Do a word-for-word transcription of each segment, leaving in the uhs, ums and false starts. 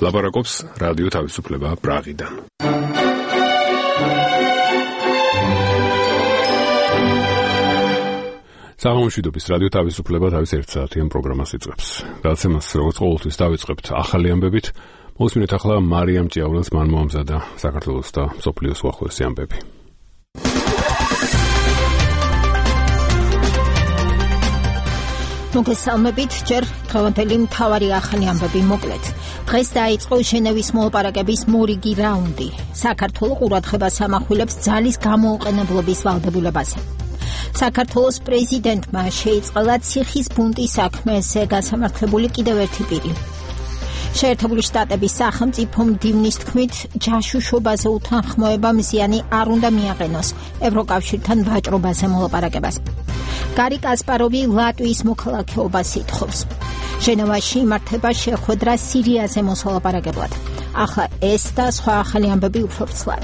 ლაპარაკობს რადიო თავისუფლება პრაღიდან. საღამომშვიდობის რადიო თავისუფლება თავის ერთსაათიან პროგრამას იწყებს. გადაცემას როგორც ყოველთვის დავიწყებთ ახალი ამბებით. მოსმინეთ ახლა მარიამ ჭიაურელს მან მოამზადა საქართველოს და მსოფლიოს უახლოესი ამბები. მოგესალმებით, ჯერ დღევანდელი მთავარი ახალი ამბები მოკლედ. დღეს დაიწყო ჟენევის მოლაპარაკების მორიგი რაუნდი. საქართველო ყურადღებას ამახვილებს ძალის გამოუყენებლობის ვალდებულებაზე. საქართველოს პრეზიდენტმა შეიწყალა ციხის ბუნტის საქმეზე გასამართლებული კიდევ ერთი პირი. შეერთებული შტატების სახელმწიფო მდივნის თქმით, ჯაშუშობაზე უთანხმოება მზიანი არ უნდა მიაყენოს ევროკავშირთან ვაჭრობაზე მოლაპარაკებას. გარი კასპაროვი ლატვიის მოქალაქეობას ითხოვს. ჟენევაში იმართება შეხვედრა სირიაზე მოსალაპარაკებლად. ახლა ეს და სხვა ახალი ამბები უფრო ვრცლად.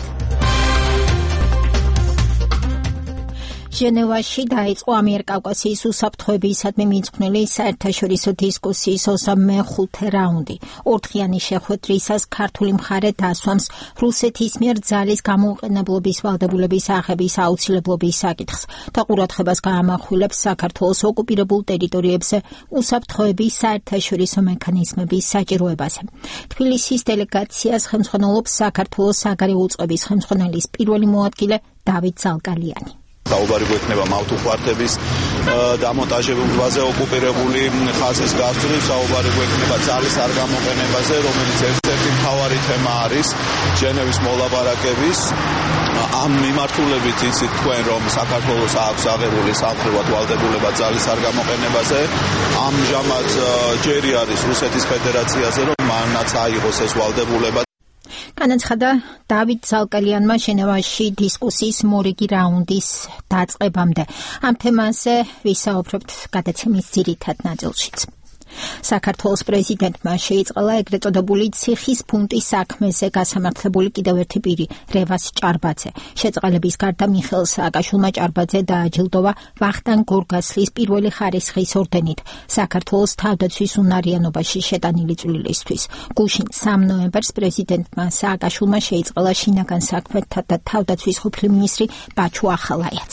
ჟენევაში დაიწყო ამიერკავკასიის უსაფრთხოებისადმი მიძღვნილი საერთაშორისო დისკუსიის ოცდამეხუთე რაუნდი. ორდღიანი შეხვედრისას ქართული მხარე დასვამს რუსეთის მიერ ძალის გამოუყენებლობის ვალდებულების აღების აუცილებლობის საკითხს და ყურადღებას გაამახვილებს საქართველოს ოკუპირებულ ტერიტორიებზე უსაფრთხოების საერთაშორისო მექანიზმების საჭიროებაზე. თბილისის დელეგაციას ხელმძღვანელობს საქართველოს საგარეო უწყების ხელმძღვანელის პირველი მოადგილე დავით ზალკალიანი. საუბარი გვექნება მავთუხვართების დამონტაჟებაზე ოკუპირებული ხაზის გასწვრივ, საუბარი გვექნება ძალის არ გამოყენებაზე, რომელიც ერთ-ერთი მთავარი თემა არის ჟენევის მოლაპარაკების. ამ მიმართულებით იცით თქვენ, რომ საქართველოს აქვს აღებული სამხედრო ვალდებულება ძალის არ გამოყენებაზე. ამჟამად ჯერი არის რუსეთის ფედერაციაზე, რომ მანაც აიღოს ეს ვალდებულება. განაცხადა დავით ზალკალიანმა ჟენევაში დისკუსიის მორიგი რაუნდის დაწყებამდე. ამ თემაზე ვისაუბრებთ გადაცემის ძირითად ნაწილშიც. საქართველოს პრეზიდენტმა შეიწყალა ეგრეთ წოდებული ციხის ბუნტის საქმეზე გასამართლებული კიდევ ერთი პირი, რევას ჭარბაძე. შეწყალების გარდა მიხეილ სააკაშვილმა ჭარბაძე დააჯილდოვა ვახტანგ გორგასლის პირველი ხარისხის ორდენით საქართველოს თავდაცვის უნარიანობაში შეტანილი წვლილისთვის. გუშინ სამ ნოემბერს პრეზიდენტმა სააკაშვილმა შეიწყალა შინაგან საქმეთა და თავდაცვის ყოფილი მინისტრი ბაჩუ ახალაიაც.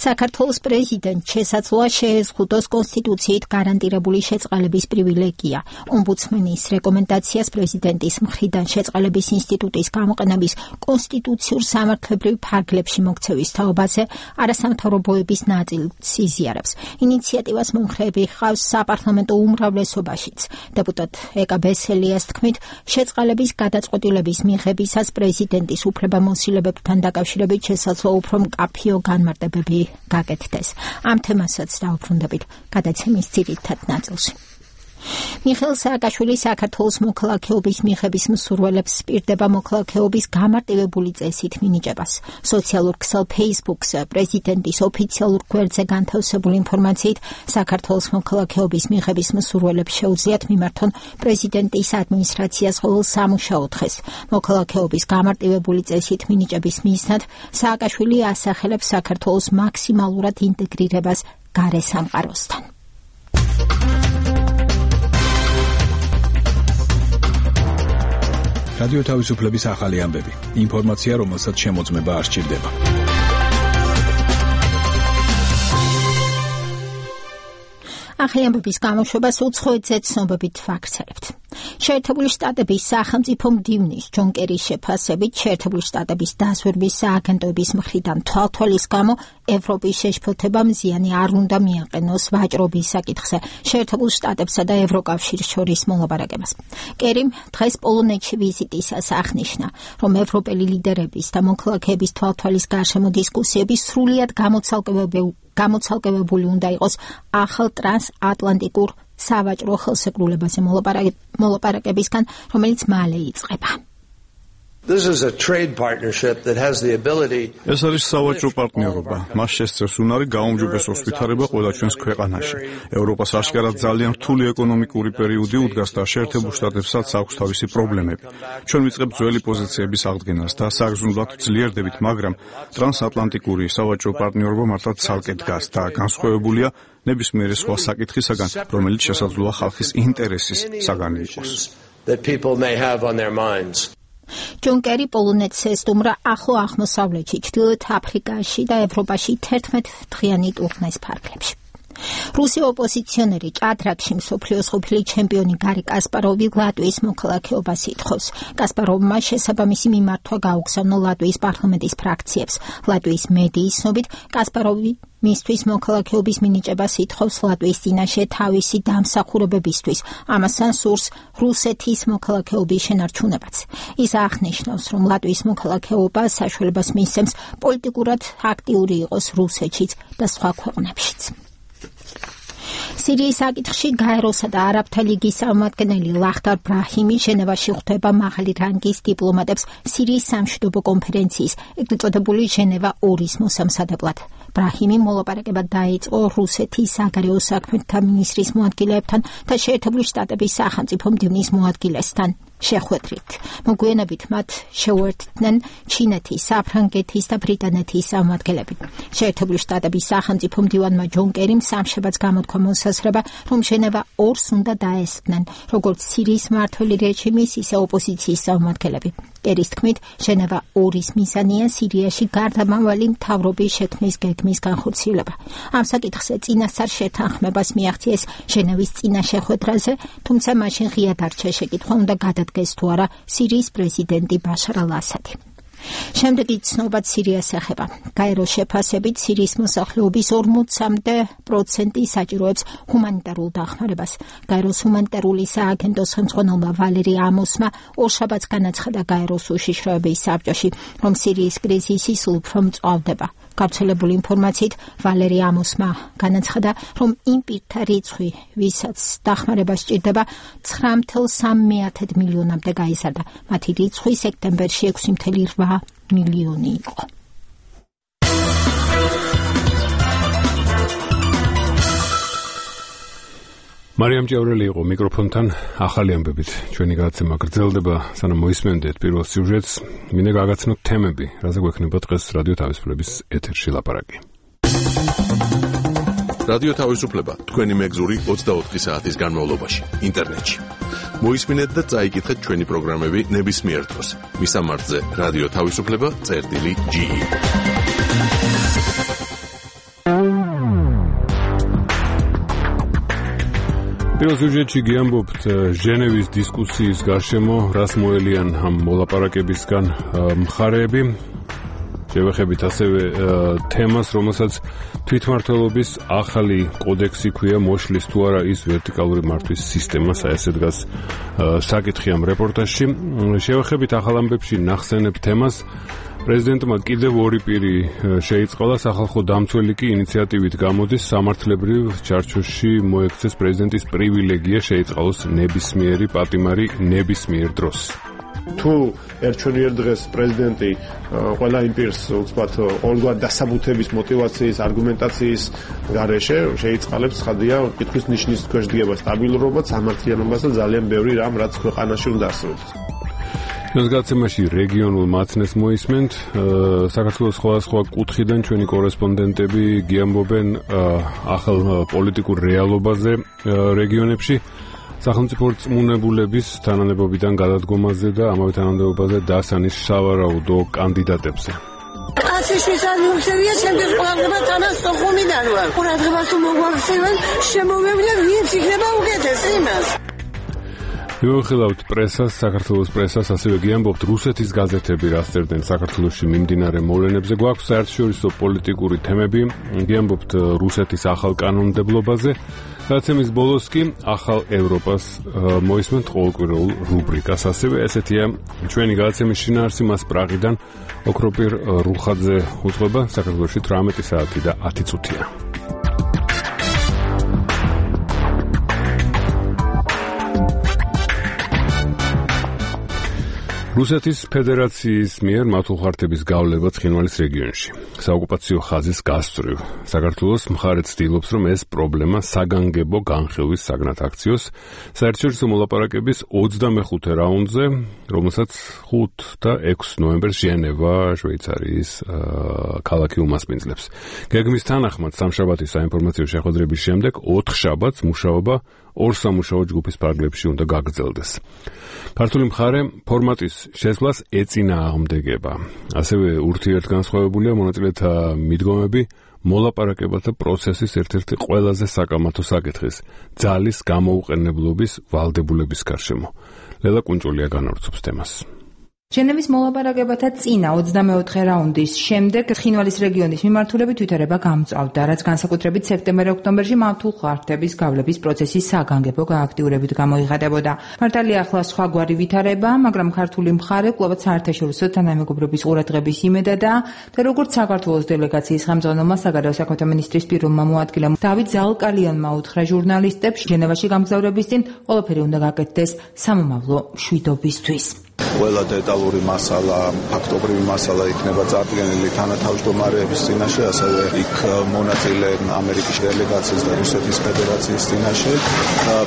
საქართველოს პრეზიდენტს შესაძლოა შეეზღუდოს კონსტიტუციით გარანტირებული შეწყალების პრივილეგია. ომბუდსმენის რეკომენდაციას პრეზიდენტის მხრიდან შეწყალების ინსტიტუტის გამოყენების კონსტიტუციურ სამართლებრივ ფარგლებში მოქცევის თაობაზე არასამთავრობოების ნაწილს იზიარებს. ინიციატივას მომხრეები ჰყავს საპარლამენტო უმრავლესობაშიც. დეპუტატ ეკა ბესელიას თქმით, შეწყალების გადაწყვეტილების მიღებისას პრეზიდენტის უფლებამოსილებებთან დაკავშირებით შესაძლოა უფრო მკაფიო განმარტება გაკეთდეს. ამ თემასაც დავუბრუნდებით გადაცემის ძირითად ნაწილში. მიხეილ სააკაშვილი საქართველოს მოქალაქეობის მიღების მსურველებს სპირდება მოქალაქეობის გამარტივებული წესით მინიჭებას. სოციალურ ქსელ Facebook-ზე პრეზიდენტის ოფიციალურ გვერდზე განთავსებული ინფორმაციით საქართველოს მოქალაქეობის მიღების მსურველებს შეუძლიათ მიმართონ პრეზიდენტის ადმინისტრაციას ყოველ სამუშაო დღეს. მოქალაქეობის გამარტივებული წესით მინიჭების მიზნად სააკაშვილი ასახელებს საქართველოს მაქსიმალურად ინტეგრირებას გარე სამყაროსთან. რადიო თავისუფლების ახალი ამბები. ინფორმაცია, რომელსაც შემოწმება არ სჭირდება. ახალი ამბების გამოშვებას უცხოეთზე ცნობებით ვაქცევებთ. შეერთებული შტატების სახელმწიფო მდივნის ჯონ კერის შეფასებით შეერთებული შტატების დაზვერვის სააგენტოების მხრიდან თვალთვალის გამო ევროპის შეშფოთება მზიანი არ უნდა მიაყენოს ვაჭრობის საკითხზე შეერთებულ შტატებსა და ევროკავშირის შორის მოლაპარაკებას. კერიმ დღეს პოლონეთში ვიზიტისას აღნიშნა, რომ ევროპელი ლიდერების და მოქალაქეების თვალთვალის გარშემო დისკუსიები სრულიად გამოცალკევებული გამოცალკევებული უნდა იყოს ახალ ტრანსატლანტიკურ სავაჭრო ხელსეკრულებაზე მოლაპარაკებისგან, რომელიც მალე იწყება. This is a trade partnership that has the ability. ეს არის სავაჭრო პარტნიორობა. მას შესწევს უნარი გაუმჯობესოს ვითარება ყველა ჩვენს ქვეყანაში. ევროპას აშკარად ძალიან რთული ეკონომიკური პერიოდი უდგას და შეერთებულ შტატებსაც აქვს თავისი პრობლემები. ჩვენ ვიწყებთ ძველი პოზიციების აღდგენას და საგრძნობლად ძლიერდებით, მაგრამ ტრანსატლანტიკური სავაჭრო პარტნიორობა მართლაც ცალკე დგას და განსხვავებულია ნებისმიერი სხვა საკითხისაგან, რომელიც შესაძლოა ხალხის ინტერესის საგანი იყოს. that people may have on their minds. ჯონ კერი პოლონეთს ესტუმრა ახლო აღმოსავლეთში, ჩრდილოეთ აფრიკაში და ევროპაში თერთმეტ-დღიანი ტურნეს ფარგლებში. რუსი ოპოზიციონერი ჭადრაკში მსოფლიოს ყოფილი ჩემპიონი გარი კასპაროვი ლატვიის მოქალაქეობას ითხოვს. კასპაროვმა შესაბამისი მიმართვა გაუგზავნა ლატვიის პარლამენტის ფრაქციებს. ლატვიის მედიის ცნობით, კასპაროვი მისთვის მოქალაქეობის მინიჭებას ითხოვს ლატვიის წინაშე თავისი დამსახურებებისთვის. ამასთან სურს რუსეთის მოქალაქეობის შენარჩუნებაც. ის აღნიშნავს, რომ ლატვიის მოქალაქეობა საშუალებას მისცემს პოლიტიკურად აქტიური იყოს რუსეთშიც და სხვა ქვეყნებშიც. სირიის საკითხში გაეროსა და არაბთა ლიგის წარმომადგენელი ლახდარ ბრაჰიმი ჟენევაში ხვდება მაღალი რანგის დიპლომატებს სირიის სამშვიდობო კონფერენციის, ეგრეთ წოდებული ჟენევა ორის მოსამზადებლად. ბრაჰიმი მოლაპარაკება დაიწყო რუსეთის საგარეო საქმეთა მინისტრის მოადგილეებთან და შეერთებული შტატების სახელმწიფო მდივნის მოადგილესთან შეხვედრით. მოგვიანებით მათ შეუერთდნენ ჩინეთის, საფრანგეთის და ბრიტანეთის წარმომადგენლები. შეერთებული შტატების სახელმწიფო მდივანმა ჯონ კერიმ სამშაბათს გამოთქვა მოსაზრება, რომ ჟენევა ორს უნდა დაესწრნენ, როგორც სირიის მმართველი რეჟიმის, ისე ოპოზიციის წარმომადგენლები. კერის თქმით, ჟენევა ორის მიზანია სირიაში გარდამავალი მთავრობის შექმნის გეგმის განხორციელება. ამ საკითხზე წინასწარ შეთანხმებას მიაღწიეს ჟენევის წინა შეხვედრაზე, თუმცა მაშინ ღია დარჩა შეკითხვა, უნდა გადადგეს თუ არა სირიის პრეზიდენტი ბაშარ ალ-ასადი. შემდეგი ცნობაც სირიას ეხება. გაეროს შეფასებით სირიის მოსახლეობის ორმოცამდე პროცენტი საჭიროებს ჰუმანიტარულ დახმარებას. გაეროს ჰუმანიტარული სააგენტოს ხელმძღვანელმა ვალერი ამოსმა ორშაბათს განაცხადა გაეროს უშიშროების საბჭოში, რომ სირიის კრიზისი სულ უფრო მწვავდება. გავრცელებული ინფორმაციით ვალერი ამოსმა განაცხადა, რომ იმ პირთა რიცხვი, ვისაც დახმარება სჭირდება, ცხრა წუთი სამი მილიონამდე გაიზარდა. მათი რიცხვი სექტემბერში ექვსი წუთი რვა მილიონი იყო. მარიამ ჭიაურელი იყო მიკროფონთან. ახალი ამბებით ჩვენი გადაცემა გრძელდება, სანამ მოისმენდეთ პირველ სიუჟეტს, მინდა გაგაცნოთ თემები, რაზე გვექნება დღეს რადიო თავისუფლების ეთერში ლაპარაკი. რადიო თავისუფლება თქვენი მეგზური ოცდაოთხი საათის განმავლობაში ინტერნეტში. მოისმინეთ და წაიკითხეთ ჩვენი პროგრამები ნებისმიერ დროს. მისამართზე რადიო თავისუფლება წერტილი ჯი ი. პირველ სიუჟეტში გიამბობთ ჟენევის დისკუსიის გარშემო, რას მოელიან ამ მოლაპარაკებისგან მხარეები. შევეხებით ასევე თემას, რომელსაც თვითმმართველობის ახალი კოდექსი ქვია, მოშლის თუ არა ის ვერტიკალური მართვის სისტემა, ესე დგას საკითხი ამ რეპორტაჟში. შევეხებით ახალ ამბებში ნახსენებ თემას. პრეზიდენტმა კიდევ ორი პირი შეიწყალა, სახალხო დამცველი კი ინიციატივით გამოდის, სამართლებრივ ჩარჩოში მოექცეს პრეზიდენტის პრივილეგია შეიწყალოს ნებისმიერი პატიმარი ნებისმიერ დროს. თუ ერჩვენიერ დღეს პრეზიდენტი ყველა იმ პირს უცბად ყოველგვარ დასაბუთების, მოტივაციის, არგუმენტაციის გარეშე შეიწყალებს, ხადია, კითხვის ნიშნის ქვეშ დგება სტაბილურობა, სამართლიანობას და ძალიან ბევრი რამ, რაც ქვეყანაში უნდა არსებობს. ჩვენს გადაცემაში რეგიონულ მაცნეს მოისმენთ. საქართველოს სხვადასხვა კუთხიდან ჩვენი კორესპონდენტები გიამბობენ ახალ პოლიტიკურ რეალობაზე რეგიონებში, სახელმწიფო რწმუნებულების თანამდებობიდან გადადგომაზე და ამავე თანამდებობაზე დასანის სავარაუდო კანდიდატებზე. ასიშვის ანიუსებია ჩემთვის ყურადღება თანასწორხომიდან ვარ. ყურადღებას თუ მოგვაქცევენ, შემოვევლე ვინც იქნება უკეთესი იმას. მივუხილავთ პრესას, საქართველოს პრესას, ასევე გიამბობთ რუსეთის გაზეთები რა სწერდნენ საქართველოში მიმდინარე მოვლენებზე. გვაქვს საერთაშორისო პოლიტიკური თემები, გიამბობთ რუსეთის ახალ კანონმდებლობაზე. გადაცემის ბოლოს კი ახალ ევროპას მოისმენთ ყოველკვირეულ რუბრიკას. ასევე ესეთია ჩვენი გადაცემის შინაარსი, მას პრაღიდან ოქროპირ რუხაძე უძღვება. საქართველოში თვრამეტი საათი და ათი წუთია. რუსეთის ფედერაციის მიერ მართლმხარდების გავლება ცხინვალის რეგიონში. საოკუპაციო ხაზის გასწვრივ. საქართველოს მხარე ცდილობს, რომ ეს პრობლემა საგანგებო განხილვის საგნად აქციოს საერთაშორისო მოლაპარაკების ოცდამეხუთე რაუნდზე, რომელსაც ხუთი და ექვსი ნოემბერს ჟენევა, შვეიცარიის ქალაქი უმასპინძლებს. გეგმის თანახმად სამშაბათის საინფორმაციო შეხვედრების შემდეგ ოთხ შაბათს მუშაობა ორ სამუშაო ჯგუფის ფარგლებში უნდა გაგრძელდეს. ქართული მხარე ფორმატის შესვლას ეწინააღმდეგება. ასევე ურთიერთგანსხვავებულია მონაწილეთა მიდგომები მოლაპარაკებათა პროცესის ერთ-ერთი ყველაზე საკამათო საკითხის ძალის გამოუყენებლობის ვალდებულების გარშემო. ლელა კუნჭულია განავრცობს თემას. ჟენევის მოლაპარაკებათა წინა ოცდამეოთხე რაუნდის შემდეგ ცხინვალის რეგიონის მიმართულებით ვითარება გამწვავდა, რაც განსაკუთრებით სექტემბერ-ოქტომბერში მართლმხარდების გავლების პროცესის საგანგებო გააქტიურებით გამოიხატებოდა. მართალია ახლა სხვაგვარი ვითარება, მაგრამ ქართული მხარე კვლავაც საერთაშორისო თანამეგობრობის ყურადღების იმედადაა და როგორც საქართველოს დელეგაციის ხელმძღვანელმა საგარეო საქმეთა მინისტრის პიროვმა მოადგილემ დავით ზალკალიანმა უთხრა ჟურნალისტებს, ჟენევაში გამგზავრების წინ ყველაფერი უნდა გაკეთდეს სამომავლო მშვიდობისთვის. ყველა დეტალური მასალა, ფაქტობრივი მასალა იქნება წარდგენილი თანათავმჯდომარეების წინაშე, ასევე იქ მონაწილე ამერიკის დელეგაციის და რუსეთის ფედერაციის წინაშე.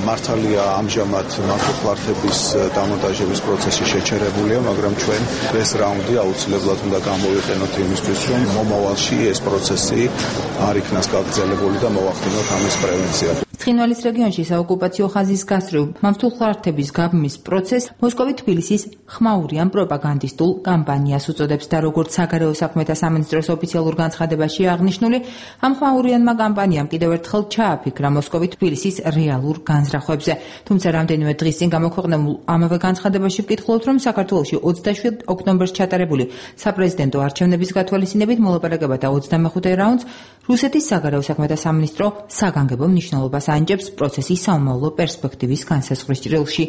მართალია ამჟამად მართლმხარდების დამონტაჟების პროცესი შეჩერებულია, მაგრამ ჩვენ ეს რაუნდი აუცილებლად უნდა გამოვიყენოთ იმისთვის, რომ მომავალში ეს პროცესი არ იქნას გაგრძელებული და მოვახდინოთ ამის პრევენცია. ცხინვალის რეგიონში საოკუპაციო ხაზის გასწვრივ მართლმხარდების გაბმის პროცესს მოსკოვი თბილისის ხმაურიან პროპაგანდისტულ კამპანიას უწოდებს და როგორც საგარეო საქმეთა სამინისტროს ოფიციალურ განცხადებაში აღნიშნული, ამ ხმაურიანმა კამპანიამ კიდევ ერთხელ ჩააფიქრა მოსკოვი თბილისის რეალურ განზრახვებზე. თუმცა რამდენიმე დღის წინ გამოქვეყნებულ ამავე განცხადებაში ვკითხულობთ, რომ საქართველოში ოცდაშვიდ ოქტომბერს ჩატარებული საპრეზიდენტო არჩევნების გათვალისწინებით მოლაპარაკებათა ოცდამეხუთე რაუნდს რუსეთის საგარეო საქმეთა სამინისტრო საგანგებო მნიშვნელობას ანიჭებს პროცესის სამომავლო პერსპექტივის განსაზღვრის ჭრილში.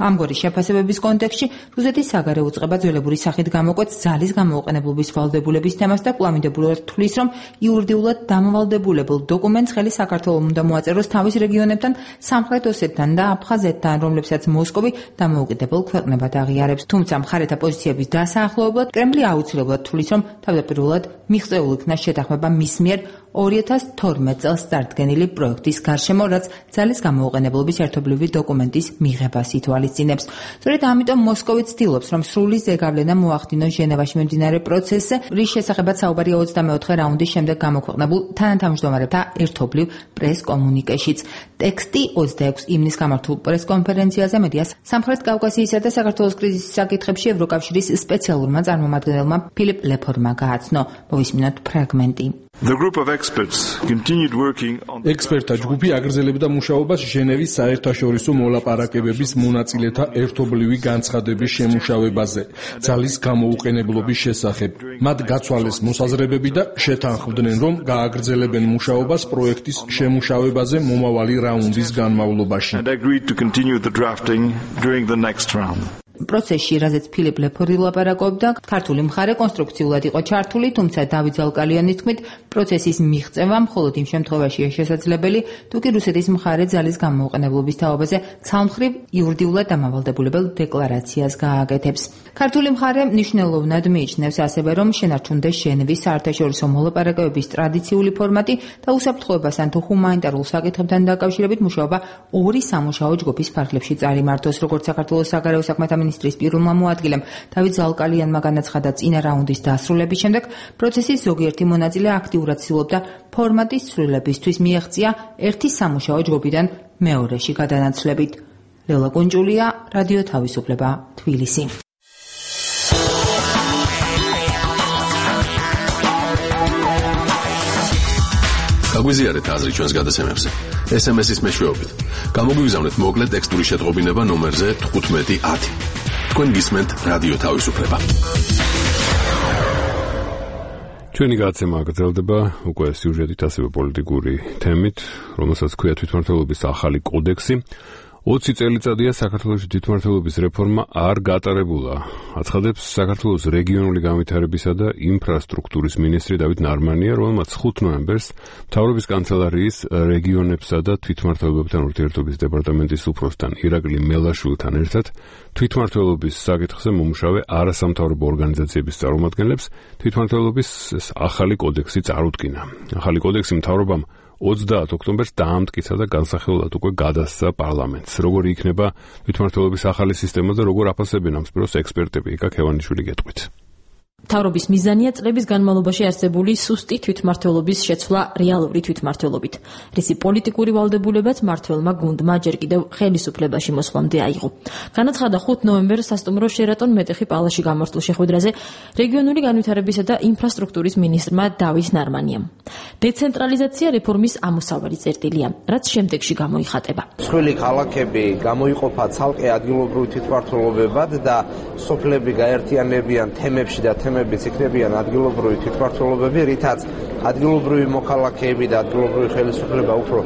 ამგვარი შეფასებების კონტექსტში რუსეთის საგარეო უწყება ძველებური სახით გამოკვეთს ძალის გამოუყენებლობის ვალდებულების თემას და კვლავინდებურად თვლის, რომ იურიდიულად დამოვალდებულებელ დოკუმენტს ხელი საქართველოს უნდა მოაწეროს თავის რეგიონებთან, სამხრეთ ოსეთთან და აფხაზეთთან, რომლებსაც მოსკოვი დამოუკიდებელ ქვეყნებად აღიარებს. თუმცა მხარეთა პოზიციების დასაახლოებლად კრემლი აუცილებლად თვლის, რომ თავდაპირველად მიღწეულ იქნა შეთანხმება მის მიერ ორი ათას თორმეტ წელს წარდგენილი პროექტის გარშემო, რაც ძალის გამოუყენებლობის ერთობლივი დოკუმენტის მიღებას ითვალისწინებს. სწორედ ამიტომ მოსკოვი ცდილობს, რომ სრული ზეგავლენა მოახდინოს ჟენევაში მიმდინარე პროცესზე, რის შესახებაც საუბარია ოცდამეოთხე რაუნდის შემდეგ გამოქვეყნებულ თანათავმჯდომარეთა ერთობლივ პრეს-კომუნიკეშიც. ტექსტი ოცდაექვსი ივნისს გამართულ პრეს-კონფერენციაზე მედიას სამხრეთ კავკასიისა და საქართველოს კრიზისის საკითხებში ევროკავშირის სპეციალურმა წარმომადგენელმა ფილიპ ლეფორმა გააცნო. მოვისმინოთ ფრაგმენტი. ექსპერტთა ჯგუფი აგრძელებდა მუშაობას ჟენევის საერთაშორისო მოლაპარაკებების მონაწილეთა ერთობლივი განცხადების შემუშავებაზე, ძალის გამოუყენებლობის შესახებ. მათ გაცვალეს მოსაზრებები და შეთანხმდნენ, რომ გააგრძელებენ მუშაობას პროექტის შემუშავებაზე მომავალი რაუნდის განმავლობაში. პროცესში, რაზეც ფილიპ ლეფორი ლაპარაკობდა, ქართული მხარე კონსტრუქციულად იყო ჩართული, თუმცა დავით ზალკალიანის თქმით, პროცესის მიღწევა მხოლოდ იმ შემთხვევაშია შესაძლებელი, თუ კი რუსეთის მხარე ძალის გამოუყენებლობის თაობაზე ცალმხრივ იურიდიულად დამავალდებულებელ დეკლარაციას გააკეთებს. ქართული მხარე მნიშვნელოვნად მიიჩნევს ასევე, რომ შენარჩუნდეს ჟენევის საერთაშორისო მოლაპარაკებების ტრადიციული ფორმატი და უსაფრთხოებასთან თუ ჰუმანიტარულ საკითხებთან დაკავშირებით მუშაობა ორი სამუშაო ჯგუფის ფარგლებში წარიმართოს, როგორც საქართველოს საგარეო საქმეთა მინისტრის პიროვმა მოადგილემ დავით ზალკალიანმა განაცხადა წინა რაუნდის დასრულების შემდეგ, პროცესის ზოგიერთი მონაწილე აქტიურად ცდილობდა ფორმატის ცვლილებისთვის მიეღწია ერთი სამუშაო ჯგუფიდან მეორეში გადანაცვლებით. ლელა კუნჭულია, რადიო თავისუფლება, თბილისი. გაგვიზიარეთ აზრი ჩვენს გადაცემებზე. ეს ემ ეს-ის მეშვეობით. გამოგვიგზავნეთ მოკლე ტექსტური შეტყობინება ნომერზე თხუთმეტი ათი. თქვენ გისმენთ რადიო თავისუფლება. ჩვენი გადაცემა გრძელდება უკვე სიუჟეტით, ასევე პოლიტიკური თემით, რომელსაც ქვია თვითმმართველობის ახალი კოდექსი. ოცი წელიწადია საქართველოს თვითმმართველობის რეფორმა არ გატარებულა. აცხადებს საქართველოს რეგიონული განვითარებისა და ინფრასტრუქტურის მინისტრი დავით ნარმანია, რომელმაც ხუთ ნოემბერს მთავრობის კანცელარიის რეგიონებსა და თვითმმართველობებთან ურთიერთობის დეპარტამენტის უფროსთან ირაკლი მელაშვილთან ერთად თვითმმართველობის საკითხზე მომუშავე არასამთავრობო ორგანიზაციების წარმომადგენლებს თვითმმართველობის ახალი კოდექსი წარუდგინა. ახალი კოდექსი მთავრობამ ოცდაათ ოქტომბერს დაამტკიცა და განსახილველად უკვე გადასცა პარლამენტს. როგორი იქნება თვითმმართველობის ახალი სისტემა და როგორ აფასებენ ამ სფეროს ექსპერტები, იკა ქევანიშვილი გეტყვით. მთავრობის მიზანია წლების განმავლობაში არსებული სუსტი თვითმმართველობის შეცვლა რეალური თვითმმართველობით, რისი პოლიტიკური ვალდებულებაც მმართველმა გუნდმა ჯერ კიდევ ხელისუფლებაში მოსვლამდე აიღო. განაცხადა ხუთ ნოემბერს სასტუმრო შერატონ მეტეხი პალაში გამართულ შეხვედრაზე რეგიონული განვითარებისა და ინფრასტრუქტურის მინისტრმა დავით ნარმანიამ. დეცენტრალიზაცია რეფორმის ამოსავალი წერტილია, რაც შემდეგში გამოიხატება. მსხვილი ქალაქები გამოიყოფა ცალკე ადგილობრივ თვითმმართველობებად და სოფლები გაერთიანებიან თემებში და თემებიც იქნებიან ადგილობრივი თვითმმართველობები, რითაც ადგილობრივი მოქალაქეები და ადგილობრივი ხელისუფლება უფრო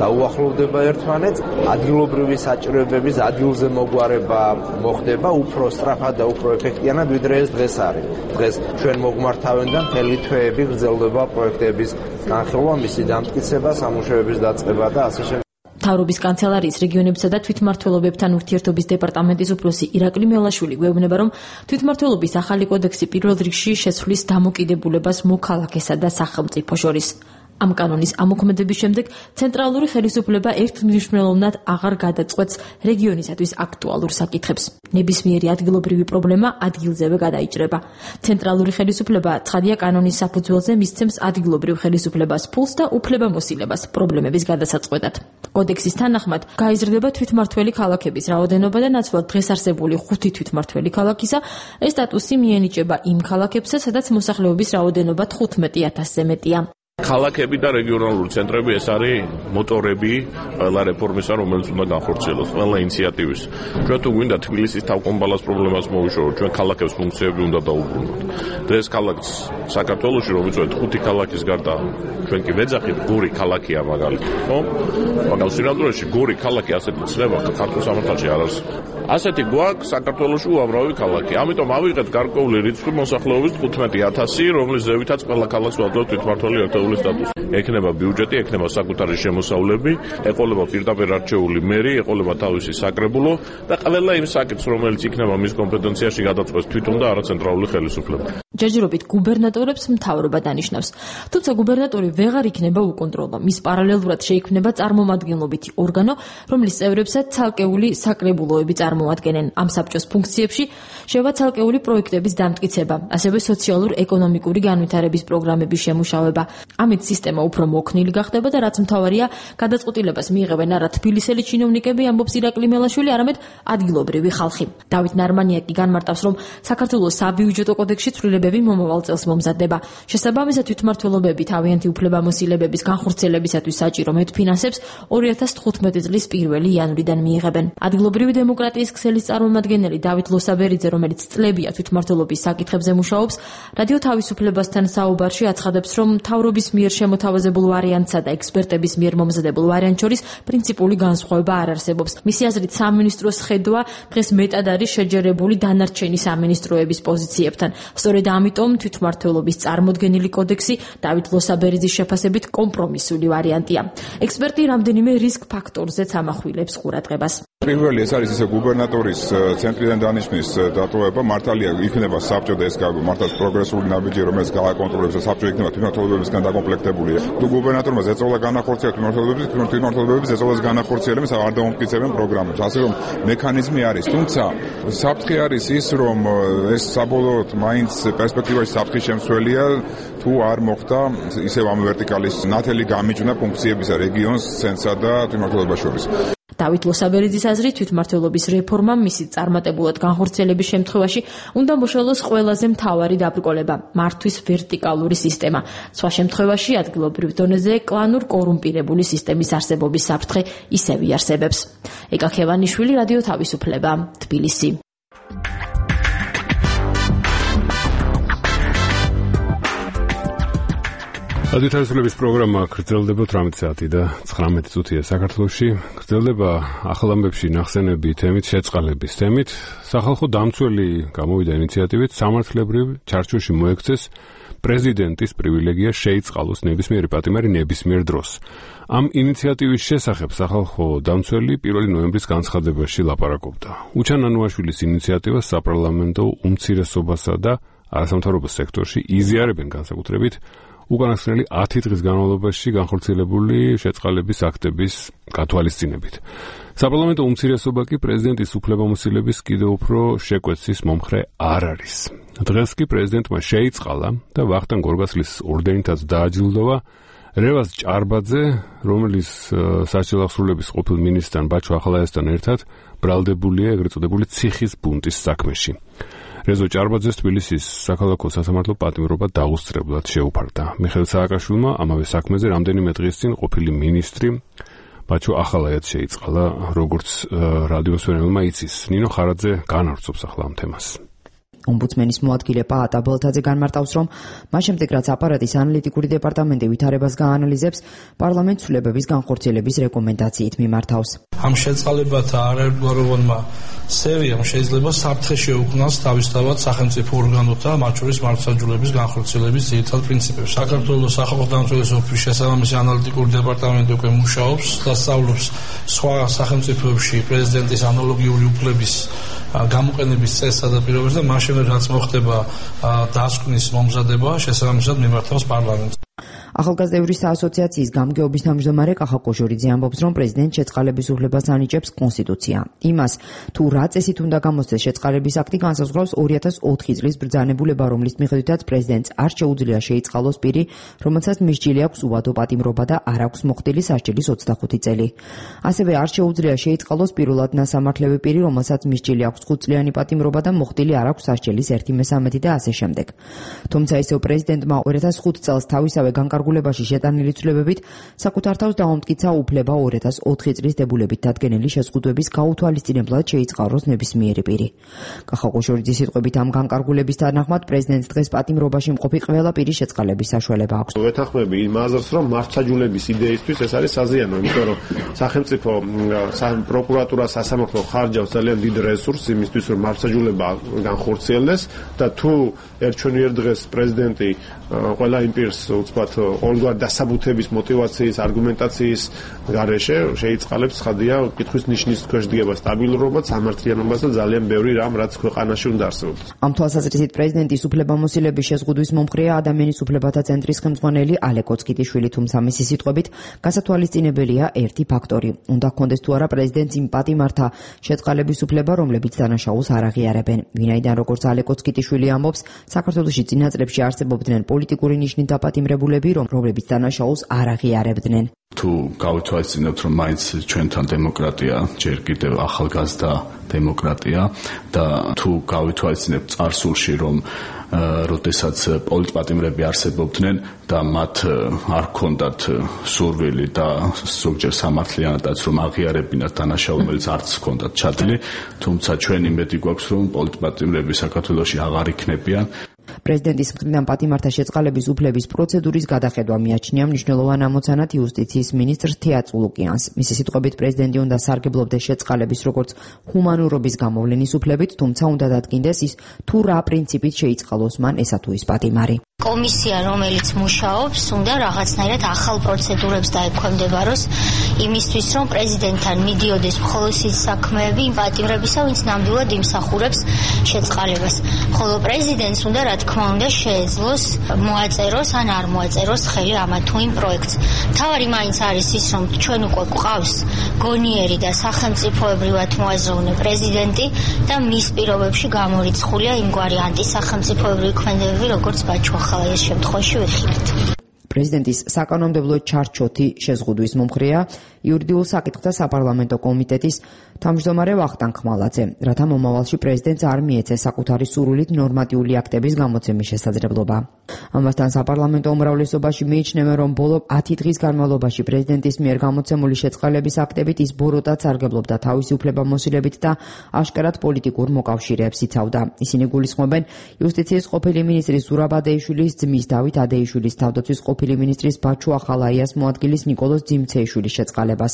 დაუახლოვდება ერთმანეთს, ადგილობრივი საჭიროებების ადგილზე მოგვარება მოხდება უფრო სწრაფად და უფრო ეფექტიანად, ვიდრე ეს დღეს არის. დღეს ჩვენ მოგმართავენდან მთელი თვეები გრძელდება პროექტების განხილვა, მისი დამტკიცება, სამუშაოების დაწყება და ასე შემდეგ. მთავრობის კანცელარიის რეგიონებსა და თვითმმართველობებთან ურთიერთობის დეპარტამენტის უფროსი ირაკლი მელაშვილი გვეუბნება, რომ თვითმმართველობის ახალი კოდექსი პირველ რიგში შეცვლის დამოკიდებულებას მოქალაქესა და სახელმწიფო შორის. ამ კანონის ამოქმედების შემდეგ ცენტრალური ხელისუფლება ერთმნიშვნელოვნად აღარ გადაწყვეტს რეგიონისათვის აქტუალურ საკითხებს. ნებისმიერი ადგილობრივი პრობლემა ადგილზევე გადაიჭრება. ცენტრალური ხელისუფლება ცხადია კანონის საფუძველზე მისცემს ადგილობრივ ხელისუფლებას ფულს და უფლებამოსილებას პრობლემების გადასაწყვეტად. კოდექსის თანახმად გაიზრდება თვითმმართველი ქალაქების რაოდენობა და ნაცვლად დღეს არსებული ხუთი თვითმმართველი ქალაქისა ეს სტატუსი მიენიჭება იმ ქალაქებსა, სადაც მოსახლეობის რაოდენობა თხუთმეტი ათასზე მეტია. ქალაქები და რეგიონალური ცენტრები ეს არის მოტორები ყველა რეფორმისა, რომელიც უნდა განხორციელოს, ყველა ინიციატივის. ჩვენ თუ გვინდა თბილისის თავკომბალას პრობლემას მოვიშოროთ, ჩვენ ქალაქებს ფუნქციები უნდა დაუბრუნოთ. დღეს ქალაქს საქართველოში რომ ვიწვევთ ხუთი ქალაქის გარდა ჩვენ კი ვეძახით გორი ქალაქია მაგალითად, ხო? მაგრამ სინამდვილეში გორი ქალაქი ასეთი ცნება ქართულ სამართალში არ არის. ასეთი გვაქვს საქართველოში უამრავი ქალაქი. ამიტომ ავიღეთ გარკვეული რიცხვი მოსახლეობის თხუთმეტი ათასი, რომლის ზევითაც ყველა ქალაქს ვაძლევთ თვითმმართველი ერთეული სტატუსი. ექნება ბიუჯეტი, ექნება საკუთარი შემოსავლები, ეყოლება პირდაპირ არჩეული მერი, ეყოლება თავისი საკრებულო და ყველა იმ საკითხს, რომელიც იქნება მის კომპეტენციაში გადაწყვეტს თვითონ და არა ცენტრალური ხელისუფლება. ჯერჯერობით გუბერნატორებს მთავრობა დანიშნავს. თუმცა გუბერნატორი ვეღარ იქნება უკონტროლო. მის პარალელურად შეიქმნება წარმომადგენლობითი ორგანო, რომლის წევრებსაც ცალკეული საკრებულოები წარმოადგენენ. ამ საბჭოს ფუნქციებში შევა ცალკეული პროექტების დამტკიცება, ასევე სოციალურ-ეკონომიკური განვითარების პროგრამების შემუშავება. ამით სისტემა უფრო მოქნილი გახდება და რაც მთავარია, გადაწყვეტილებას მიიღებენ არა თბილისელი ჩინოვნიკები, ამბობს ირაკლი მელაშვილი, არამედ ადგილობრივი ხალხი. დავით ნარმანია კი განმარტავს, რომ საქართველოს საბიუჯეტო კოდექსში ცვლილებები მომავალ წელს მომზადდება. შესაბამისად, თვითმმართველობები თავიანთი უფლებამოსილებების განხორციელებისათვის საჭირო მეტფინანსებს ორი ათას თხუთმეტი წლის პირველი იანვრიდან მიიღებენ. ადგილობრივი დემოკრატიის ქსელის წარმომადგენელი დავით ლოსაბერიძე, რომელიც წლებია თვითმმართველობის საკითხებზე მუშაობს, რადიო თავისუფლებასთან საუბარში აცხადებს, რომ მთავრობის მიერ შემოთავაზებულ ვარიანტსა და ექსპერტების მიერ მომზადებულ ვარიანტს შორის პრინციპული განსხვავება არ არსებობს. მისი აზრით, სამინისტროს ხედვა დღეს მეტად არის შეჯერებული დანარჩენი სამინისტროების პოზიციებთან. სწორედ ამიტომ თვითმმართველობის წარმოდგენილი კოდექსი დავით ლოსაბერიძის შეფასებით კომპრომისული ვარიანტია. ექსპერტი რამდენიმე რისკ ფაქტორზეც ამახვილებს ყურადღებას. პირველი ეს არის ისე გუბერნატორის ცენტრიდან დანიშნვის დატოვება, მართალია იქნება საბჭო და ეს მართლაც პროგრესული ნაბიჯი, რომელიც გააკონტროლებს და საბჭო იქნება თვითმმართველობებისგან დაკომპლექტებული. თუ გუბერნატორმა ზეწოლა განახორციელა თვითმმართველობების, თვითმმართველობების ზეწოლას განახორციელებს, არ დაუმტკიცებენ პროგრამებს. ასე რომ მექანიზმი არის, თუმცა საფრთხე არის ის, რომ ეს საბოლოოდ მაინც პერსპექტივაში საფრთხის შემცველია, თუ არ მოხდა ისევ ამ ვერტიკალის ნათელი გამიჯვნა ფუნქციებისა რეგიონს, ცენტრსა და თვითმმართველობას შორის. დავით ლოსაბერიძის აზრით, თვითმმართველობის რეფორმა მისი წარმატებულად განხორციელების შემთხვევაში უნდა მოშალოს ყველაზე მთავარი დაბრკოლება, მართვის ვერტიკალური სისტემა. სხვა შემთხვევაში ადგილობრივ დონეზე კლანურ კორუმპირებული სისტემის არსებობის საფრთხე ისევ იარსებებს. ეკა ქევანიშვილი, რადიო თავისუფლება, თბილისი. რადიოთავისუფლების პროგრამა გრძელდება ოცდაოთხ საათი და ცხრამეტი წუთია საქართველოში. გრძელდება ახალ ამბებში ნახსენები თემით, შეწყალების თემით. სახალხო დამცველი გამოვიდა ინიციატივით სამართლებრივ ჩარჩოში მოექცეს პრეზიდენტის პრივილეგია შეიწყალოს ნებისმიერი პატიმარი ნებისმიერ დროს. ამ ინიციატივის შესახებ სახალხო დამცველი პირველი ნოემბრის განცხადებაში ლაპარაკობდა. უჩან ანუაშვილის ინიციატივას საპარლამენტო უმცირესობასა და არასამთავრობო სექტორში იზიარებენ განსაკუთრებით უკანასკნელი ათი დღის განმავლობაში განხორციელებული შეწყალების აქტების გათვალისწინებით. საპარლამენტო უმცირესობა კი პრეზიდენტის უფლებამოსილების კიდევ უფრო შეკვეცის მომხრე არ არის. დღეს კი პრეზიდენტმა შეიწყალა და ვახტანგ გორგასლის ორდენითაც დააჯილდოვა რევაზ ჭარბაძე, რომელიც სასჯელ აღსრულების ყოფილ მინისტრთან ბაჩო ახალაიასთან ერთად ბრალდებულია ეგრეთ წოდებული ციხის ბუნტის საქმეში. რეზო ჭარბაძეს თბილისის საქალაქო სასამართლო პატიმრობა დაუსწრებლად შეუფარდა. მიხეილ სააკაშვილმა ამავე საქმეზე რამდენიმე დღის წინ ყოფილი მინისტრი ბაჩო ახალაიაც შეიწყალა, როგორც რადიოს ვერნელმა იცის. ნინო ხარაძე განავრცობს ახლა ამ თემას. ომბუდსმენის მოადგილე პაატა ბოლთაძე განმარტავს, რომ მას შემდეგ რაც აპარატის ანალიტიკური დეპარტამენტი ვითარებას გაანალიზებს, პარლამენტს ცვლილებების განხორციელების რეკომენდაციით მიმართავს. ამ შეწყალებათა არაერთგვაროვანმა სერიამ შეიძლება საფრთხე შეუქმნას თავისთავად სახელმწიფო ორგანოთა, მათ შორის მართლმსაჯულების განხორციელების ძირითად პრინციპებს. საქართველოს სახალხო დამცველის ოფისის შესაბამისი ანალიტიკური დეპარტამენტი უკვე მუშაობს და სწავლობს სხვა სახელმწიფოებში პრეზიდენტის ანალოგიური უფლების გამოყენების წესსა და პირობებს და მას შემდეგ რაც მოხდება დასკვნის მომზადება, შესაბამისად მიმართავს პარლამენტს. ახალგაზრდების ასოციაციის გამგეობის თავმჯდომარე კახა კოჟორიძე ამბობს, რომ პრეზიდენტ შეწყალების უფლებას ანიჭებს კონსტიტუცია. იმას, თუ რა წესით უნდა გამოსცეს შეწყალების აქტი, განსაზღვრავს ორი ათას ოთხი წლის ბრძანებულება, რომლის მიხედვითაც პრეზიდენტს არ შეუძლია შეიწყალოს პირი, რომელსაც მისჯილი აქვს უვადო პატიმრობა და არ აქვს მოხდილი სასჯელის ოცდახუთი წელი. ასევე არ შეუძლია შეიწყალოს პირველად ნასამართლები პირი, რომელსაც მისჯილი აქვს ხუთწლიანი პატიმრობა და მოხდილი არ აქვს სასჯელის ერთი მესამედი და ასე შემდეგ. თუმცა ისევ პრეზიდენტმა ორი ათას ხუთ წელს თავისავე განკარგულებაში შეტანილი ცვლილებებით საკუთარ თავს დაუმტკიცა უფლება ორი ათას ოთხი წლის დებულებით დადგენილი შეზღუდვების გაუთვალისწინებლად შეიწყალოს ნებისმიერი პირი. კახა კოჟორიძის სიტყვებით ამ განკარგულების თანახმად პრეზიდენტს დღეს პატიმრობაში მყოფი ყველა პირის შეწყალების საშუალება აქვს. ვეთანხმები იმ აზრს, რომ მართლმსაჯულების იდეისთვის ეს არის საზიანო, იმიტომ რომ სახელმწიფო პროკურატურა სასამართლო ხარჯავს ძალიან დიდ რესურსს იმისთვის, რომ მართლმსაჯულება განხორციელდეს და თუ ერჩვენიერ დღეს პრეზიდენტი ყველა იმ პირს უცბად ყოველგვარ დასაბუთების, მოტივაციის, არგუმენტაციის გარეშე შეიწყალებს ცხადია კითხვის ნიშნის ქვეშ დგება სტაბილურობაც, სამართლიანობას და ძალიან ბევრი რამ, რაც ქვეყანაში უნდა არსებობდეს. ამ თვალსაზრისით პრეზიდენტის უფლებამოსილების შეზღუდვის მომხრეა ადამიანის უფლებათა ცენტრის ხელმძღვანელი ალე კოცკიტიშვილი, თუმცა მისი სიტყვებით გასათვალისწინებელია ერთი ფაქტორი. უნდა ჰქონდეს თუ არა პრეზიდენტს იმ პატიმართა შეწყალების უფლება, რომლებიც დანაშაულს არ აღიარებენ. ვინაიდან როგორც ალე კოცკიტიშვილი ამბობს, საქართველოში წინა წლებში არსებობდნენ პოლიტიკური ნიშნით დაპატიმრებულები, რომლებიც დანაშაულს არ აღიარებდნენ. თუ გავითვალისწინებთ, რომ მაინც ჩვენთან დემოკრატია ჯერ კიდევ ახალგაზრდა დემოკრატია და თუ გავითვალისწინებთ წარსულში, რომ როდესაც პოლიტპატიმრები არსებობდნენ და მათ არ ჰქონდათ სურვილი და ზოგჯერ სამართლიანადაც რომ აღიარებინათ დანაშაული, რომელიც არც ჰქონდათ ჩადილი, თუმცა ჩვენ იმედი გვაქვს, რომ პოლიტპატიმრები საქართველოში აღარ იქნებიან. პრეზიდენტის მხრიდან პატიმართა შეწყალების უფლების პროცედურის გადახედვა მიაჩნია მნიშვნელოვან ამოცანად იუსტიციის მინისტრ თეატ ლუკიანს. მისი სიტყვებით პრეზიდენტი უნდა სარგებლობდეს შეწყალების როგორც ჰუმანურობის გამოვლენის უფლებით, თუმცა უნდა დადგინდეს ის, თუ რა პრინციპით შეიწყალოს მან ესა თუ ის პატიმარი. კომისია, რომელიც მუშაობს, უნდა რაღაცნაირად ახალ პროცედურებს დაექვემდებაროს იმისთვის, რომ პრეზიდენტთან მიდიოდეს მხოლოდ ის საქმეები იმ პატიმრებისა, ვინც ნამდვილად იმსახურებს შეწყალებას. ხოლო პრეზიდენტს უნდა რა თქმა უნდა შეეძლოს მოაწეროს ან არ მოაწეროს ხელი ამა თუ იმ პროექტს. თავარი მაინც არის ის, რომ ჩვენ უკვე გვყავს გონიერი და სახელმწიფოებრივად მოაზროვნე პრეზიდენტი და მის პირობებში გამორიცხულია იმგვარი ანტისახელმწიფოებრივი ქმედებები, როგორც ბაჩო ახალაიას შემთხვევაში ვიხილეთ. პრეზიდენტის საკანონმდებლო ჩარჩოთი შეზღუდვის მომხრეა იურიდიულ საკითხთა საპარლამენტო კომიტეტის თავმჯდომარე ვახტანგ ხმალაძე, რათა მომავალში პრეზიდენტს არ მიეცეს საკუთარი სურვილით ნორმატიული აქტების გამოცემის შესაძლებლობა. ამასთან საპარლამენტო უმრავლესობაში მიიჩნევენ, რომ ბოლო ათი დღის განმავლობაში პრეზიდენტის მიერ გამოცემული შეწყალების აქტებით ის ბოროტად სარგებლობდა თავისი უფლებამოსილებით და აშკარად პოლიტიკურ მოკავშირეებს იცავდა. ისინი გულისხმობენ იუსტიციის ყოფილი მინისტრის ზურაბ ადეიშვილის ძმის დავით ადეიშვილის თავდაცვის ყოფილი მინისტრის ბაჩუ ახალაიას მოადგილის ნიკოლოზ ძიმცეიშვილის შეწყალებას,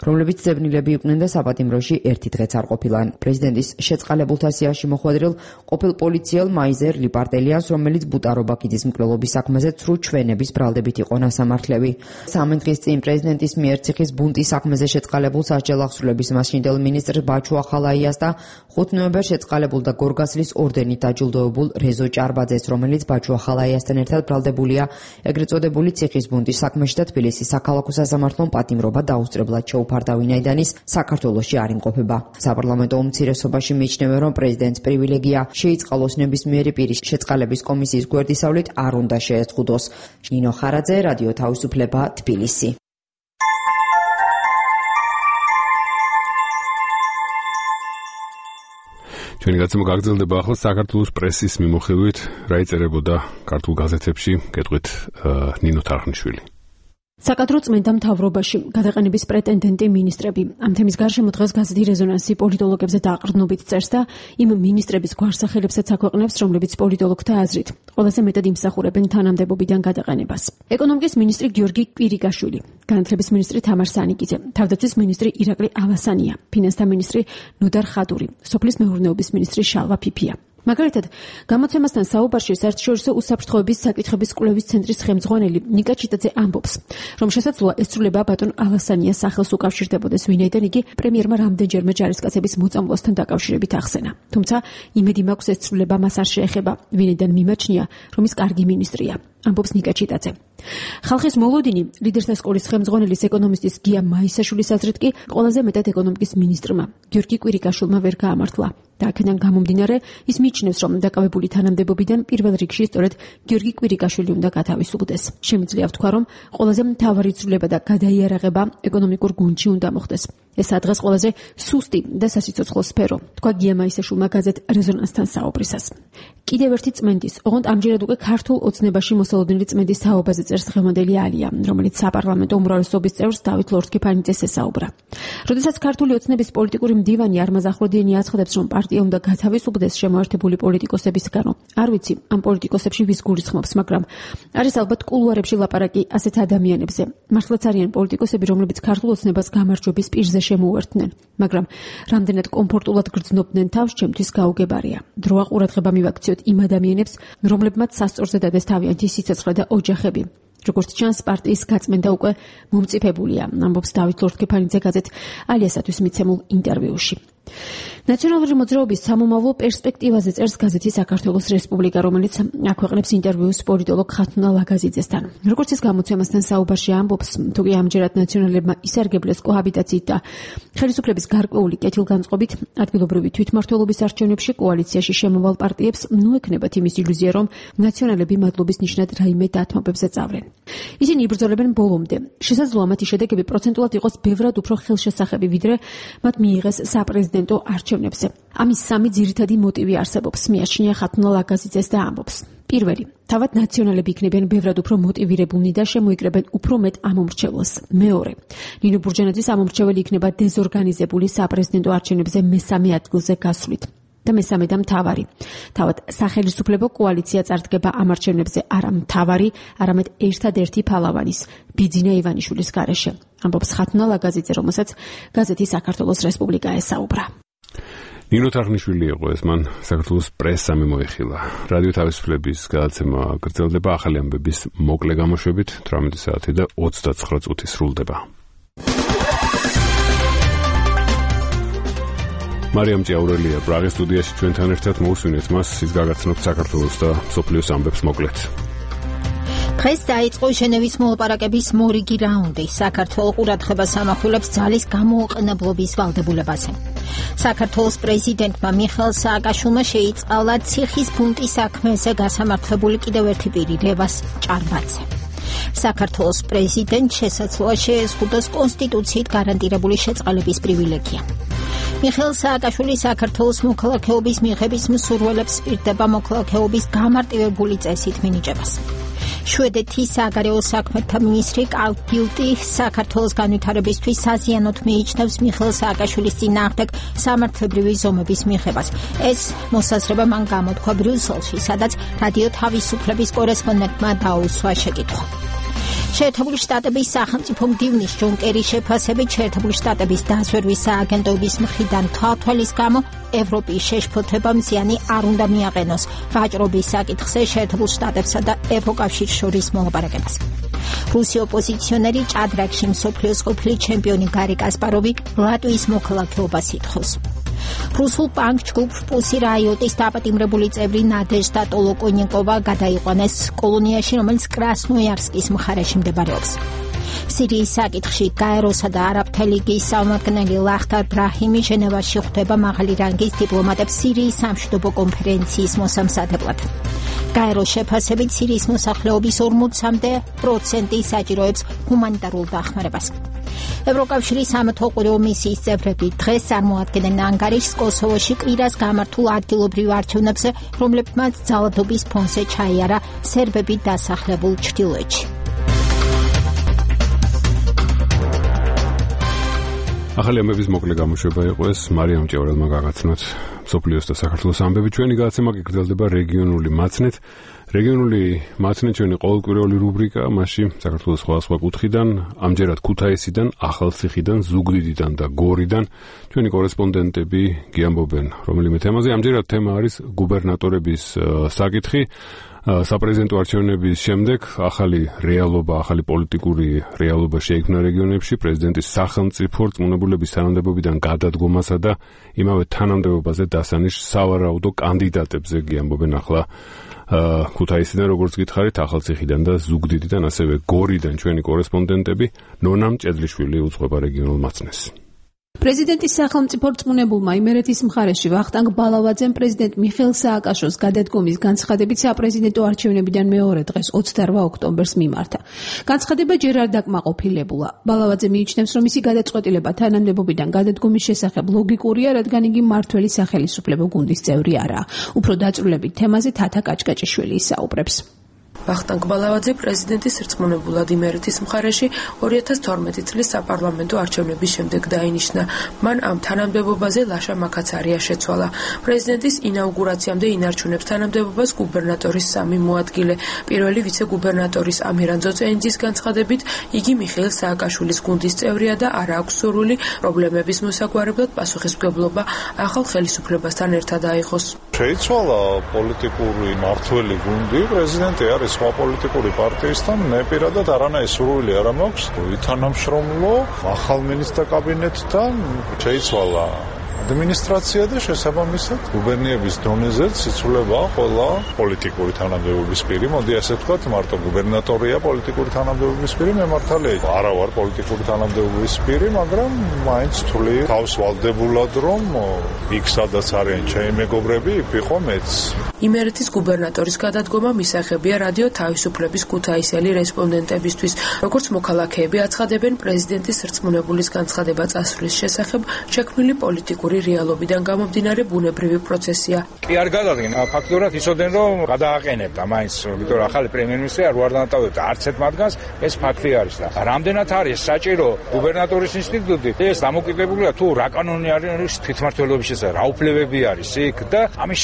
რომლებიც ძებნილები იყვნენ და საპატიმროში ერთი დღეც არ ყოფილან. პრეზიდენტის შეწყალებულთა სიაში მოხვედრილ ყოფილ პოლიციელ მაიზერ ლიპარტელიანს, რომელიც ბუტარობაკიძის მკვლელობის საქმეზე ცრუ ჩვენების ბრალდებით იყო ნასამართლები. სამი დღის წინ პრეზიდენტის მიერ ციხის ბუნტის საქმეზე შეწყალებულ სასჯელ აღსრულების მასშინდელ მინისტრ ბაჩუ ახალაიას და ხუთი ნოემბერს შეწყალებულ და გორგასლის ორდენით დაჯილდოებულ რეზო ჭარბაძეს, რომელიც ბაჩუ ახალაიასთან ერთად ბრალდებულია ეგრეთ წოდებული ციხის ბუნტის საქმეში და თბილისის საქალაქო სასამართლომ პატიმრობა დაუსწრებლად შეუფარდა, ვინაიდან ის საქართველოში არ იმყოფება. საპარლამენტო უმცირესობაში მიიჩნევენ, რომ პრეზიდენტს პრივილეგია შეიწყალოს ნებისმიერი პირის შეწყალების კომისიის გვერდისავლით არ უნდა შეეწყვიტოს. ნინო ხარაძე, რადიო თავისუფლება, თბილისი. ჩვენი გაცემა გაგრძელდება ახლა საქართველოს პრესის მიმოხილვით, რა იწერებოდა ქართულ გაზეთებში, გეტყვით ნინო თარხნიშვილი. საკადრო წმენდა მთავრობაში გადაყენების პრეტენდენტი მინისტრები. ამ თემის გარშემო დღეს გაზეთი რეზონანსი პოლიტოლოგებზე დაყრდნობით წერს და იმ მინისტრების გვარსახელებსაც აქვეყნებს, რომლებიც პოლიტოლოგთა აზრით ყველაზე მეტად იმსახურებენ თანამდებობიდან გადაყენებას. ეკონომიკის მინისტრი გიორგი კვირიკაშვილი, განათლების მინისტრი თამარ სანიკიძე, თავდაცვის მინისტრი ირაკლი ავასანია, ფინანსთა მინისტრი ნოდარ ხადური, სოფლის მეურნეობის მინისტრი შალვა ფიფია. მაგალითად, გამოცემასთან საუბარში საერთაშორისო უსაფრთხოების საკითხების კვლევის ცენტრის ხელმძღვანელი ნიკა ჩიტაძე ამბობს, რომ შესაძლოა ესწრულება ბატონ ალასანიას სახელს უკავშირდებოდეს, ვინაიდან იგი პრემიერმა რამდენჯერმე ჯარისკაცების მოწამვლასთან დაკავშირებით ახსენა. თუმცა იმედი მაქვს ესწრულება მას არ შეეხება, ვინაიდან მიმაჩნია, რომ ის კარგი მინისტრია. ამბობს ნიკა ჩიტაძე. ხალხის მოლოდინი ლიდერთა სკოლის ხელმძღვანელის ეკონომისტის გია მაისაშვილის აზრით კი ყველაზე მეტად ეკონომიკის მინისტრმა გიორგი კვირიკაშვილმა ვერ გაამართლა. და აქედან გამომდინარე, ის მიიჩნევს, რომ დაკავებული თანამდებობიდან პირველ რიგში სწორედ გიორგი კვირიკაშვილი უნდა გათავისუფლდეს. შემიძლია ვთქვა, რომ ყველაზე მთავარი ცვლილება და გადაიარაღება ეკონომიკურ გუნდში უნდა მოხდეს. ეს ადრეს ყველაზე სუსტი და სასიცოცხლო სფერო, თქვა გია მაისაშვილმა გაზეთ რეზონანსთან საუბრისას. კიდევ ერთი წმენდის, ოღონდ ამჯერად უკვე ქართულ ოცნებაში მოსალოდნელი წმენდის თაობაზე წერს დღევანდელი ალია, რომელიც საპარლამენტო უმრავლესობის წევრს დავით ლორთქიფანიძეს ესაუბრა. როდესაც ქართული ოცნების პოლიტიკური მდივანი არმაზ ახვლედიანი აცხადებს, რომ პარტია უნდა გათავისუფლდეს შემოერთებული პოლიტიკოსებისგანო. არ ვიცი, ამ პოლიტიკოსებში ვის გულისხმობს, მაგრამ არის ალბათ კულუარებში ლაპარაკი ასეთ ადამიანებზე. მართლაც არიან პოლიტიკოსები, რომლებიც ქართულ ოცნებას გამარჯვების პირზე შემოუერთდნენ, მაგრამ რამდენად კომფორტულად გრძნობდნენ თავს, ჩემთვის გაუგებარია. დროა ყურადღება მივაქციოთ იმ ადამიანებს, რომლებმაც სასწორზე დადეს თავიანთი სიცოცხლე და ოჯახები. როგორც ჩანს, პარტიის გაწმენდა უკვე მომწიფებულია, ამბობს დავით ლორთქიფანიძე გაზეთ ალიასათვის მიცემულ ინტერვიუში. ნაციონალური მოძრაობის სამომავლო პერსპექტივაზე წერს გაზეთი საქართველოს რესპუბლიკა, რომელიც აქვეყნებს ინტერვიუს პოლიტოლოგ ხათუნა ლაგაზიძესთან. როგორც ის გამოცემასთან საუბარში ამბობს, თუკი ამჯერად ნაციონალებმა ისარგებლეს კოჰაბიტაციით და ხელისუფლების გარკვეული კეთილგანწყობით ადგილობრივი თვითმმართველობის არჩევნებში კოალიციაში შემოვალ პარტიებს ნუ ექნებათ იმის ილუზია, რომ ნაციონალები მადლობის ნიშნად რაიმე დათმობებზე წავლენ. ისინი იბრძოლებენ ბოლომდე. შესაძლოა მათი შედეგები პროცენტულად იყოს ბევრად უფრო ხელშესახები, ვიდრე მათ მიიღეს საპრეზიდენტო არჩევნებზე. ამის სამი ძირითადი მოტივი არსებობს, მიაჩნია ხათუნა ლაგაზიძეს და ამბობს. პირველი, თავად ნაციონალები იქნებიან ბევრად უფრო მოტივირებულნი და შემოიკრებენ უფრო მეტ ამომრჩეველს. მეორე, ნინო ბურჯანაძის ამომრჩეველი იქნება დეზორგანიზებული საპრეზიდენტო არჩევნებზე მესამე ადგილზე გასვლით. და მესამე და მთავარი. თავად სახელმწიფო კოალიცია წარდგება ამ არჩევნებზე არა მთავარი, არამედ ერთადერთი ფალავანის, ბიძინა ივანიშვილის გარეშე. ამბობს ხათუნა ლაგაზიძე, რომელსაც გაზეთი საქართველოს რესპუბლიკა ესაუბრა. ნინო თარხნიშვილი იყო ეს, მან საქართველოს პრესა მიმოიხილა. რადიო თავისუფლების გადაცემა გრძელდება ახალი ამბების მოკლე გამოშვებით, თვრამეტი საათი და ოცდაცხრა წუთი სრულდება. მარიამ ჭიაურელია პრაღის სტუდიაში ჩვენთან ერთად, მოусვინეთ მას, ის გაგაცნობთ საქართველოს და მსოფლიოს ამბებს მოკლედ. დღეს დაიწყო ჟენევის მოლაპარაკების მორიგი რაუნდი. საქართველოს ყურადღებას ამახვილებს ძალის გამოუყენებლობის ვალდებულებაზე. საქართველოს პრეზიდენტმა მიხეილ სააკაშვილმა შეიწყალა ციხის ბუნტის საქმეზე გასამართლებული კიდევ ერთი პირი, ლევას ჭარბაძე. საქართველოს პრეზიდენტ შესაძლოა შეეზღუდოს კონსტიტუციით გარანტირებული შეწყალების პრივილეგია. მიხეილ სააკაშვილი საქართველოს მოქალაქეობის მიღების მსურველებს პირდება მოქალაქეობის გამარტივებული წესით მინიჭებას. შვედეთის საგარეო საქმეთა მინისტრი კარლ ბილტი საქართველოს განვითარებისთვის საზიანოდ მიიჩნევს მიხეილ სააკაშვილის წინააღმდეგ სამართლებრივი ზომების მიღებას. ეს მოსაზრება მან გამოთქვა ბრიუსელში, სადაც რადიო თავისუფლების კორესპონდენტმა დაუსვა შეკითხვა. შეერთებული შტატების სახელმწიფო მდივნის ჯონ კერის შეფასებით შეერთებული შტატების დაზვერვის სააგენტოების მხრიდან თვალთვალის გამო ევროპის შეშფოთებამ ზიანი არ უნდა მიაყენოს ვაჭრობის საკითხზე შეერთებულ შტატებსა და ევროკავშირს შორის მოლაპარაკებას. რუსი ოპოზიციონერი ჭადრაკში მსოფლიოს ყოფილი ჩემპიონი გარი კასპაროვი ლატვიის მოქალაქეობას ითხოვს. რუსულ პანკ ჯგუფ პუსი რაიოტის დაპატიმრებული წევრი ნადეჟდა ტოლოკონიკოვა გადაიყვანეს კოლონიაში, რომელიც კრასნოიარსკის მხარეში მდებარეობს. სირიის საკითხში გაეროსა და არაბთა ლიგის წარმომადგენელი ლახტარ ბრაჰიმი ჟენევაში ხვდება მაღალი რანგის დიპლომატებს სირიის სამშვიდობო კონფერენციის მოსამზადებლად. გაეროს შეფასებით სირიის მოსახლეობის ორმოცამდე პროცენტი საჭიროებს ჰუმანიტარულ დახმარებას. ევროკავშირის სამეთვალყურეო მისიის წევრები დღეს წარმოადგენენ ანგარიშს კოსოვოში კვირას გამართულ ადგილობრივ არჩევნებზე, რომლებმაც ძალადობის ფონზე ჩაიარა სერბები დასახლებულ ჩრდილოეთში. ახალი ამბების მოკლე გამოშვება იყო ეს მარიამ ჭევრელმა გაგაცნოთ სოფლიოს და საქართველოს ამბები. ჩვენი გადაცემა კი გრძელდება რეგიონული მაცნით. რეგიონული მაცნით ჩვენი ყოველკვირეული რუბრიკა, მასში საქართველოს სხვადასხვა კუთხიდან, ამჯერად ქუთაისიდან, ახალციხიდან, ზუგდიდიდან და გორიდან ჩვენი კორესპონდენტები გიამბობენ რომელიმე თემაზე. ამჯერად თემა არის გუბერნატორების საკითხი. საპრეზიდენტო არჩევნების შემდეგ ახალი რეალობა, ახალი პოლიტიკური რეალობა შეიქმნა რეგიონებში პრეზიდენტის სახელმწიფო რწმუნებულების თანამდებობიდან გადადგომასა და იმავე თანამდებობაზე დასანიშ სავარაუდო კანდიდატებზე გიამბობენ ახლა ქუთაისიდან, როგორც გითხარით, ახალციხიდან და ზუგდიდიდან, ასევე გორიდან ჩვენი კორესპონდენტები. ნონა მჭედლიშვილი უძღვება რეგიონულ მაცნეს. პრეზიდენტის სახელმწიფო რწმუნებულმა იმერეთის მხარეში ვახტანგ ბალავაძემ პრეზიდენტ მიხეილ სააკაშოს გადადგომის განცხადებით საპრეზიდენტო არჩევნებიდან მეორე დღეს ოცდაორ ოქტომბერს მიმართა. განცხადება ჯერ არ დაკმაყოფილებულა. ბალავაძე მიიჩნევს, რომ მისი გადაწყვეტილება თანამდებობიდან გადადგომის შესახებ ლოგიკურია, რადგან იგი მმართველი სახელისუფლებო გუნდის წევრი არაა. უფრო დაწვრილებით თემაზე თათა კაჭკაჭიშვილი ისაუბრებს. ვახტანგ ბალავაძე პრეზიდენტის რწმუნებულად იმერეთის მხარეში ორი ათას თორმეტი წლის საპარლამენტო არჩევნების შემდეგ დაინიშნა. მან ამ თანამდებობაზე ლაშა მაკაცარია შეცვალა. პრეზიდენტის ინაუგურაციამდე ინარჩუნებს თანამდებობას გუბერნატორის სამი მოადგილე. პირველი ვიცე-გუბერნატორის ამირან ძოწენიძის განცხადებით, იგი მიხეილ სააკაშვილის გუნდის წევრია და არ აქვს სურვილი პრობლემების მოსაგვარებლად პასუხისმგებლობა ახალ ხელისუფლებასთან ერთად აიღოს. შეიცვალა პოლიტიკური მართველი გუნდი, პრეზიდენტი არის სხვა პოლიტიკური პარტიისთან, მე პირადად არანაირი სურვილი არ მაქვს ვითანამშრომლო ახალ მინისტრთა კაბინეტთან. შეიცვალა ადმინისტრაცია და შესაბამისად გუბერნიების დონეზე იცვლება ყველა პოლიტიკური თანამდებობის პირი. მოდი ასე ვთქვათ, მარტო გუბერნატორია პოლიტიკური თანამდებობის პირი, მე მართალია არა ვარ პოლიტიკური თანამდებობის პირი, მაგრამ მაინც თვლი თავს ვალდებულად, რომ იქ სადაც არიან ჩემი მეგობრები, იქ ვიყო მეც. იმერეთის გუბერნატორის გადადგომა მისაღებია რადიო თავისუფლების ქუთაისელი რესპონდენტებისთვის. როგორც მოქალაქეები აცხადებენ, პრეზიდენტის რწმუნებულის განცხადება წასვლის შესახებ შექმნილი პოლიტიკური რეალობიდან გამომდინარე ბუნებრივი პროცესია. კი არ გადადგენ, ფაქტობრივად იცოდნენ, რომ გადააყენებდა მაინც, ვიქტორ ახალი პრემიერ-მინისტრი არ უარ დანატოვებდა არც ერთ მათგანს, ეს ფაქტი არის და რამდენად არის საჭირო გუბერნატორის ინსტიტუტი, ეს დამოკიდებულია თუ რა კანონი არის თვითმმართველობის შესახებ, რა უფლებები არის იქ და ამის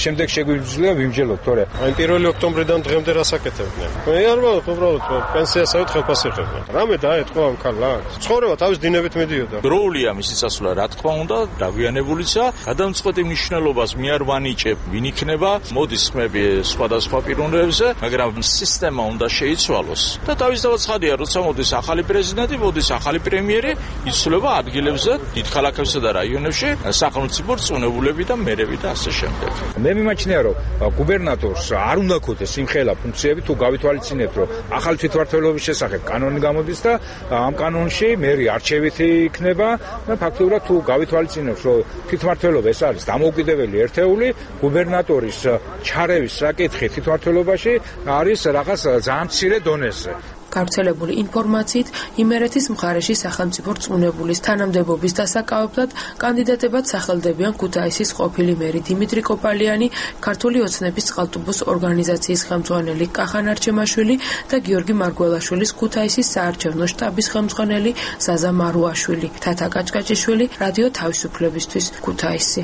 შემდეგ შეგვიძლია ვიმჯელოთ, თორე აი პირველი ოქტომბრიდან დღემდე რას აკეთებდნენ? მე არ ვარ უბრალოდ პენსიასავით ხელფასი ხებდნენ. რამე დაეთქვა ამ ქალს? ცხოვრება თავის დინებით მიდიოდა. დროულია მისი წასვლა, რა თქმა უნდა, დაგვიანებულიცა, გადამწყვეტი მნიშვნელობას მე არ ვანიჭებ, ვინ იქნება, მოდის ხმები სხვადასხვა პიროვნებებზე, მაგრამ სისტემა უნდა შეიცვალოს. და თავისთავად ცხადია, როცა მოდის ახალი პრეზიდენტი, მოდის ახალი პრემიერი, იცვლება ადგილებზე, დიდ ქალაქებსა და რაიონებში სახელმწიფო რწმუნებულები და მერები და ასე შემდეგ. მე მიმაჩნია, რომ გუბერნატორს არ უნდა ქონდეს იმხელა ფუნქციები, თუ გავითვალისწინებთ, რომ ახალი თვითმმართველობის შესახებ კანონი გამოდის და ამ კანონში მერი არჩევითი იქნება და ფაქტობრივად თუ გავითვალისწინებთ, რომ თვითმმართველობა ეს არის დამოუკიდებელი ერთეული, გუბერნატორის ჩარევის საკითხი თვითმმართველობაში არის რაღაც ძალიან მცირე დონეზე. გავრცელებული ინფორმაციით, იმერეთის მხარეში სახელმწიფო რწმუნებულის თანამდებობის დასაკავებლად კანდიდატებად სახელდებიან ქუთაისის ყოფილი მერი დიმიტრი კოპალიანი, ქართული ოცნების წყალტუბოს ორგანიზაციის ხელმძღვანელი კახან არჩემაშვილი და გიორგი მარგველაშვილის ქუთაისის საარჩევნო შტაბის ხელმძღვანელი ზაზა მარუაშვილი. თათა კაჭკაჭიშვილი, რადიო თავისუფლებისთვის, ქუთაისი.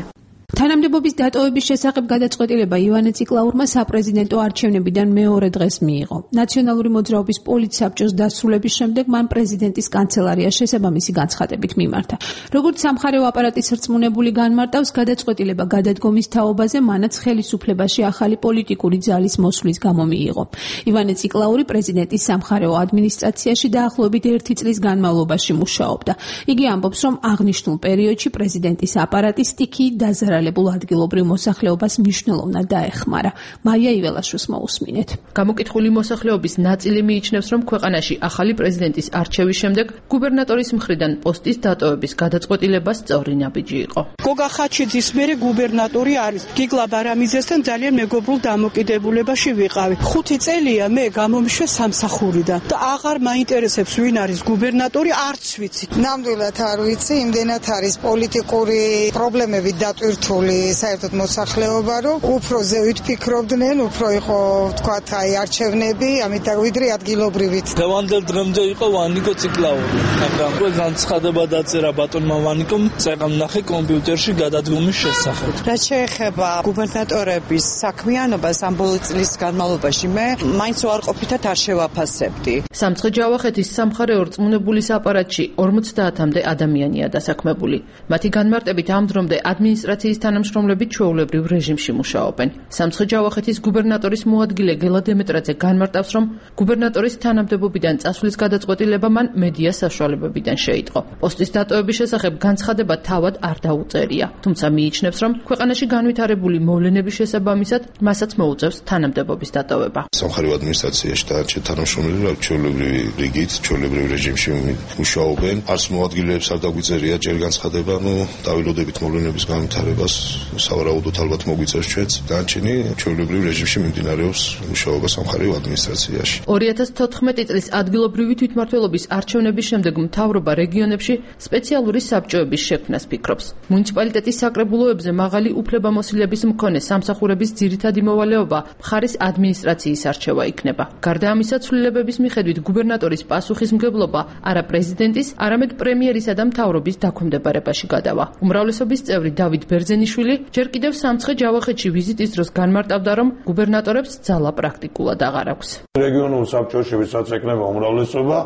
თანამდებობის დატოვების შესახებ გადაწყვეტილება ივანე ციკლაურმა საპრეზიდენტო არჩევნებიდან მეორე დღეს მიიღო. ნაციონალური მოძრაობის პოლიტსაბჭოს დასრულების შემდეგ მან პრეზიდენტის კანცელარიას შესაბამისი განცხადებით მიმართა. როგორც სამხარეო აპარატის რწმუნებული განმარტავს, გადაწყვეტილება გადადგომის თაობაზე მანაც ხელისუფლებაში ახალი პოლიტიკური ძალის მოსვლის გამო მიიღო. ივანე ციკლაური პრეზიდენტის სამხარეო ადმინისტრაციაში დაახლოებით ერთი წლის განმავლობაში მუშაობდა. იგი ამბობს, რომ აღნიშნულ პერიოდში პრეზიდენტის აპარატი სტიქიით დაზარალებულ ადგილობრივ მოსახლეობას მნიშვნელოვნად დაეხმარა. მაია იველაშვილს მოусმინეთ. გამოკითხული მოსახლეობის ნაწილი მიიჩნევს, რომ ქვეყანაში ახალი პრეზიდენტის არჩევის შემდეგ გუბერნატორის მხრიდან პოსტის დატოვების გადაწყვეტილება სწორი ნაბიჯი იყო. გოგა ხაჩიძის მერე გუბერნატორი არის. გიგლა ბარამიძესთან ძალიან მეგობრულ დამოკიდებულებაში ვიყავი. ხუთი წელია მე გამომიშვე სამსახურიდან და აღარ მაინტერესებს ვინ არის გუბერნატორი, არც ვიცი. ნამდვილად არ ვიცი, იმდენად არის პოლიტიკური პრობლემები დატვირთული საერთოდ მოსახლეობა, რომ უფრო ზევით ფიქრობდნენ, უფრო იყო თქვათ აი არჩევნები, ამიტომ ვიდრე ადგილობრივით. დღევანდელ დღემდე იყო ვანიკო ციკლაური, მაგრამ განცხადება დაწერა ბატონმა ვანიკომ წეგამნახე კომპიუტერში გადადგომის შესახებ. რაც შეეხება გუბერნატორების საქმიანობას ამ ბოლო წლის განმავლობაში მე მაინც უარყოფითად არ შევაფასებდი. სამცხე ჯავახეთის სამხარეო რწმუნებულის აპარატში ორმოცდაათამდე ადამიანია დასაქმებული. მათი განმარტებით ამ დრომდე ადმინისტრაციის თანამშრომლები ჩვეულებრივ რეჟიმში მუშაობენ. სამცხე ჯავახეთის გუბერნატორის მოადგილე გელა დემეტრაძე განმარტავს, რომ გუბერნატორის თანამდებობიდან წასვლის გადაწყვეტილება მან მედია საშუალებებიდან შეიტყო. პოსტის დატოვების შესახებ განცხადება თავად არ დაუწერია, თუმცა მიიჩნევს, რომ ქვეყანაში განვითარებული მოვლენების შესაბამისად მასაც მოუწევს თანამდებობის დატოვება. სამხარეო ადმინისტრაციაში დარჩა თანამშრომლები ჩვეულებრივი რიგით, ჩვეულებრივი რეჟიმში მუშაობენ. არც მოადგილეებს არ დაგვიწერია ჯერ განცხადება, ნუ დავილოდებით მოვლენების განვითარებას, სავარაუდოდ ალბათ მოგვიწევს ჩვენც. დანარჩენი ჩვეულებრივ რეჟიმში მიმდინარეობს მუშაობა სამხარეო ადმინისტრაციაში. ორი ათას თოთხმეტი წლის ადგილობრივი თვითმმართველობის არჩევნების შემდეგ მთავრობა რეგიონებში სპეციალური საბჭოების შექმნას ფიქრობს. მუნიციპალიტეტის საკრებულოებზე მაღალი უფლებამოსილების მქონე სამსახურების ძირითადი მოვალეობა მხარის ადმინისტრაციის არჩევა იქნება. გარდა ამისა, ცვლილებების მიხედვით გუბერნატორის პასუხისმგებლობა არა პრეზიდენტის, არამედ პრემიერისა და მთავრობის დაქვემდებარებაში გადავა. უმრავლესობის წევრი დავით ბერძენიშვილი ჯერ კიდევ სამცხე ჯავახეთში ვიზიტის დროს განმარტავდა, რომ გუბერნატორებს ძალა პრაქტიკულად აღარ აქვს. რეგიონულ საბჭოში ვისაც ეკნება უმრავლესობა,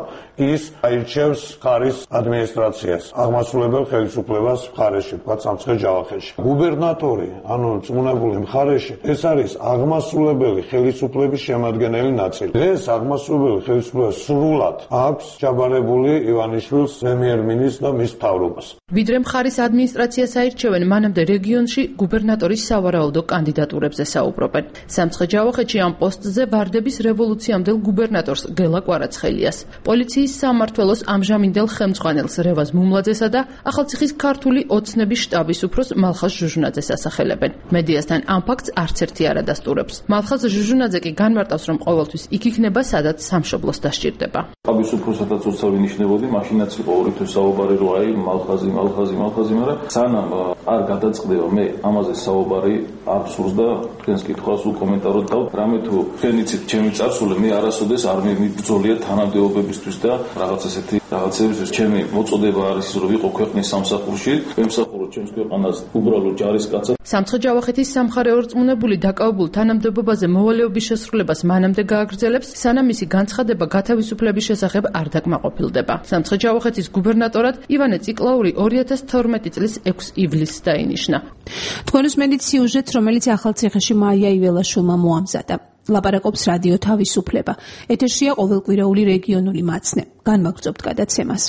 ის აირჩევს მხარის ადმინისტრაციას, აღმასრულებელ ხელისუფლებას მხარეში, თქვა სამცხე ჯავახეთში. გუბერნატორი, ანუ რწმუნებული მხარეში, ეს არის აღმასრულებელი ხელისუფლების შემადგენელი ნაწილი. ეს აღმასრულებელი ხელისუფლება სრულად აქვს ჩაბარებული ივანიშვილს პრემიერ-მინისტრს და მის მთავრობას. ვიდრე მხარის ადმინისტრაციას აირჩევენ, მანამდე რეგიონში გუბერნატორის სავარაუდო კანდიდატურებზე საუბრობენ. სამცხე ჯავახეთში ამ პოსტზე ვარდების რევოლუციამდელ გუბერნატორს გელა კვარაცხელიას, პოლიციის სამმართველოს ამჟამინდელ ხელმძღვანელს რევაზ მუმლაძესა და ახალციხის ქართული ოცნების შტაბის უფროს მალხაზ ჟუჟუნაძეს ასახელებენ. მედიასთან ამ ფაქტს არც ერთი არ ადასტურებს. მალხაზ ჟუჟუნაძე კი განმარტავს, რომ ყოველთვის იქ იქნება, სადაც სამშობლოს დასჭირდება. შტაბის უფროსადაც უცებ ვინიშნებოდი, მაშინაც იყო ორი თვის საუბარი, რომ აი მალხაზი, მალხაზი, მალხაზი, მაგრამ სანამ არ გადაწყდება, მე ამაზე საუბარი არ სურს და თქვენს კითხვას უკომენტაროთ და რამე თუ თქვენ იცით ჩემი წარსული, მე არასოდეს არ მიბრძოლია თანამდებობებისთვის და რაღაც ესეთი რაღაცებისთვის. ჩემი მოწოდება არის ის, რომ ვიყო ქვეყნის სამსახურში, ვემსახურო ჩემს ქვეყანას უბრალოდ ჯარისკაცად. სამცხე ჯავახეთის სამხარეო რწმუნებული დაკავებულ თანამდებობაზე მოვალეობის შესრულებას მანამდე გააგრძელებს, სანამ მისი განცხადება გათავისუფლების შესახებ არ დაკმაყოფილდება. სამცხე ჯავახეთის გუბერნატორად ივანე ციკლაური ორი ათას თორმეტი წლის ექვსი ივლისს დაინიშნა. თქვენ უსმენთ სიუჟეტს, რომელიც ახალციხეში მაია იველაშვილმა მოამზადა. ლაპარაკობს რადიო თავისუფლება. ეთერშია ყოველკვირეული რეგიონული მაცნე. განმაგრძობთ გადაცემას.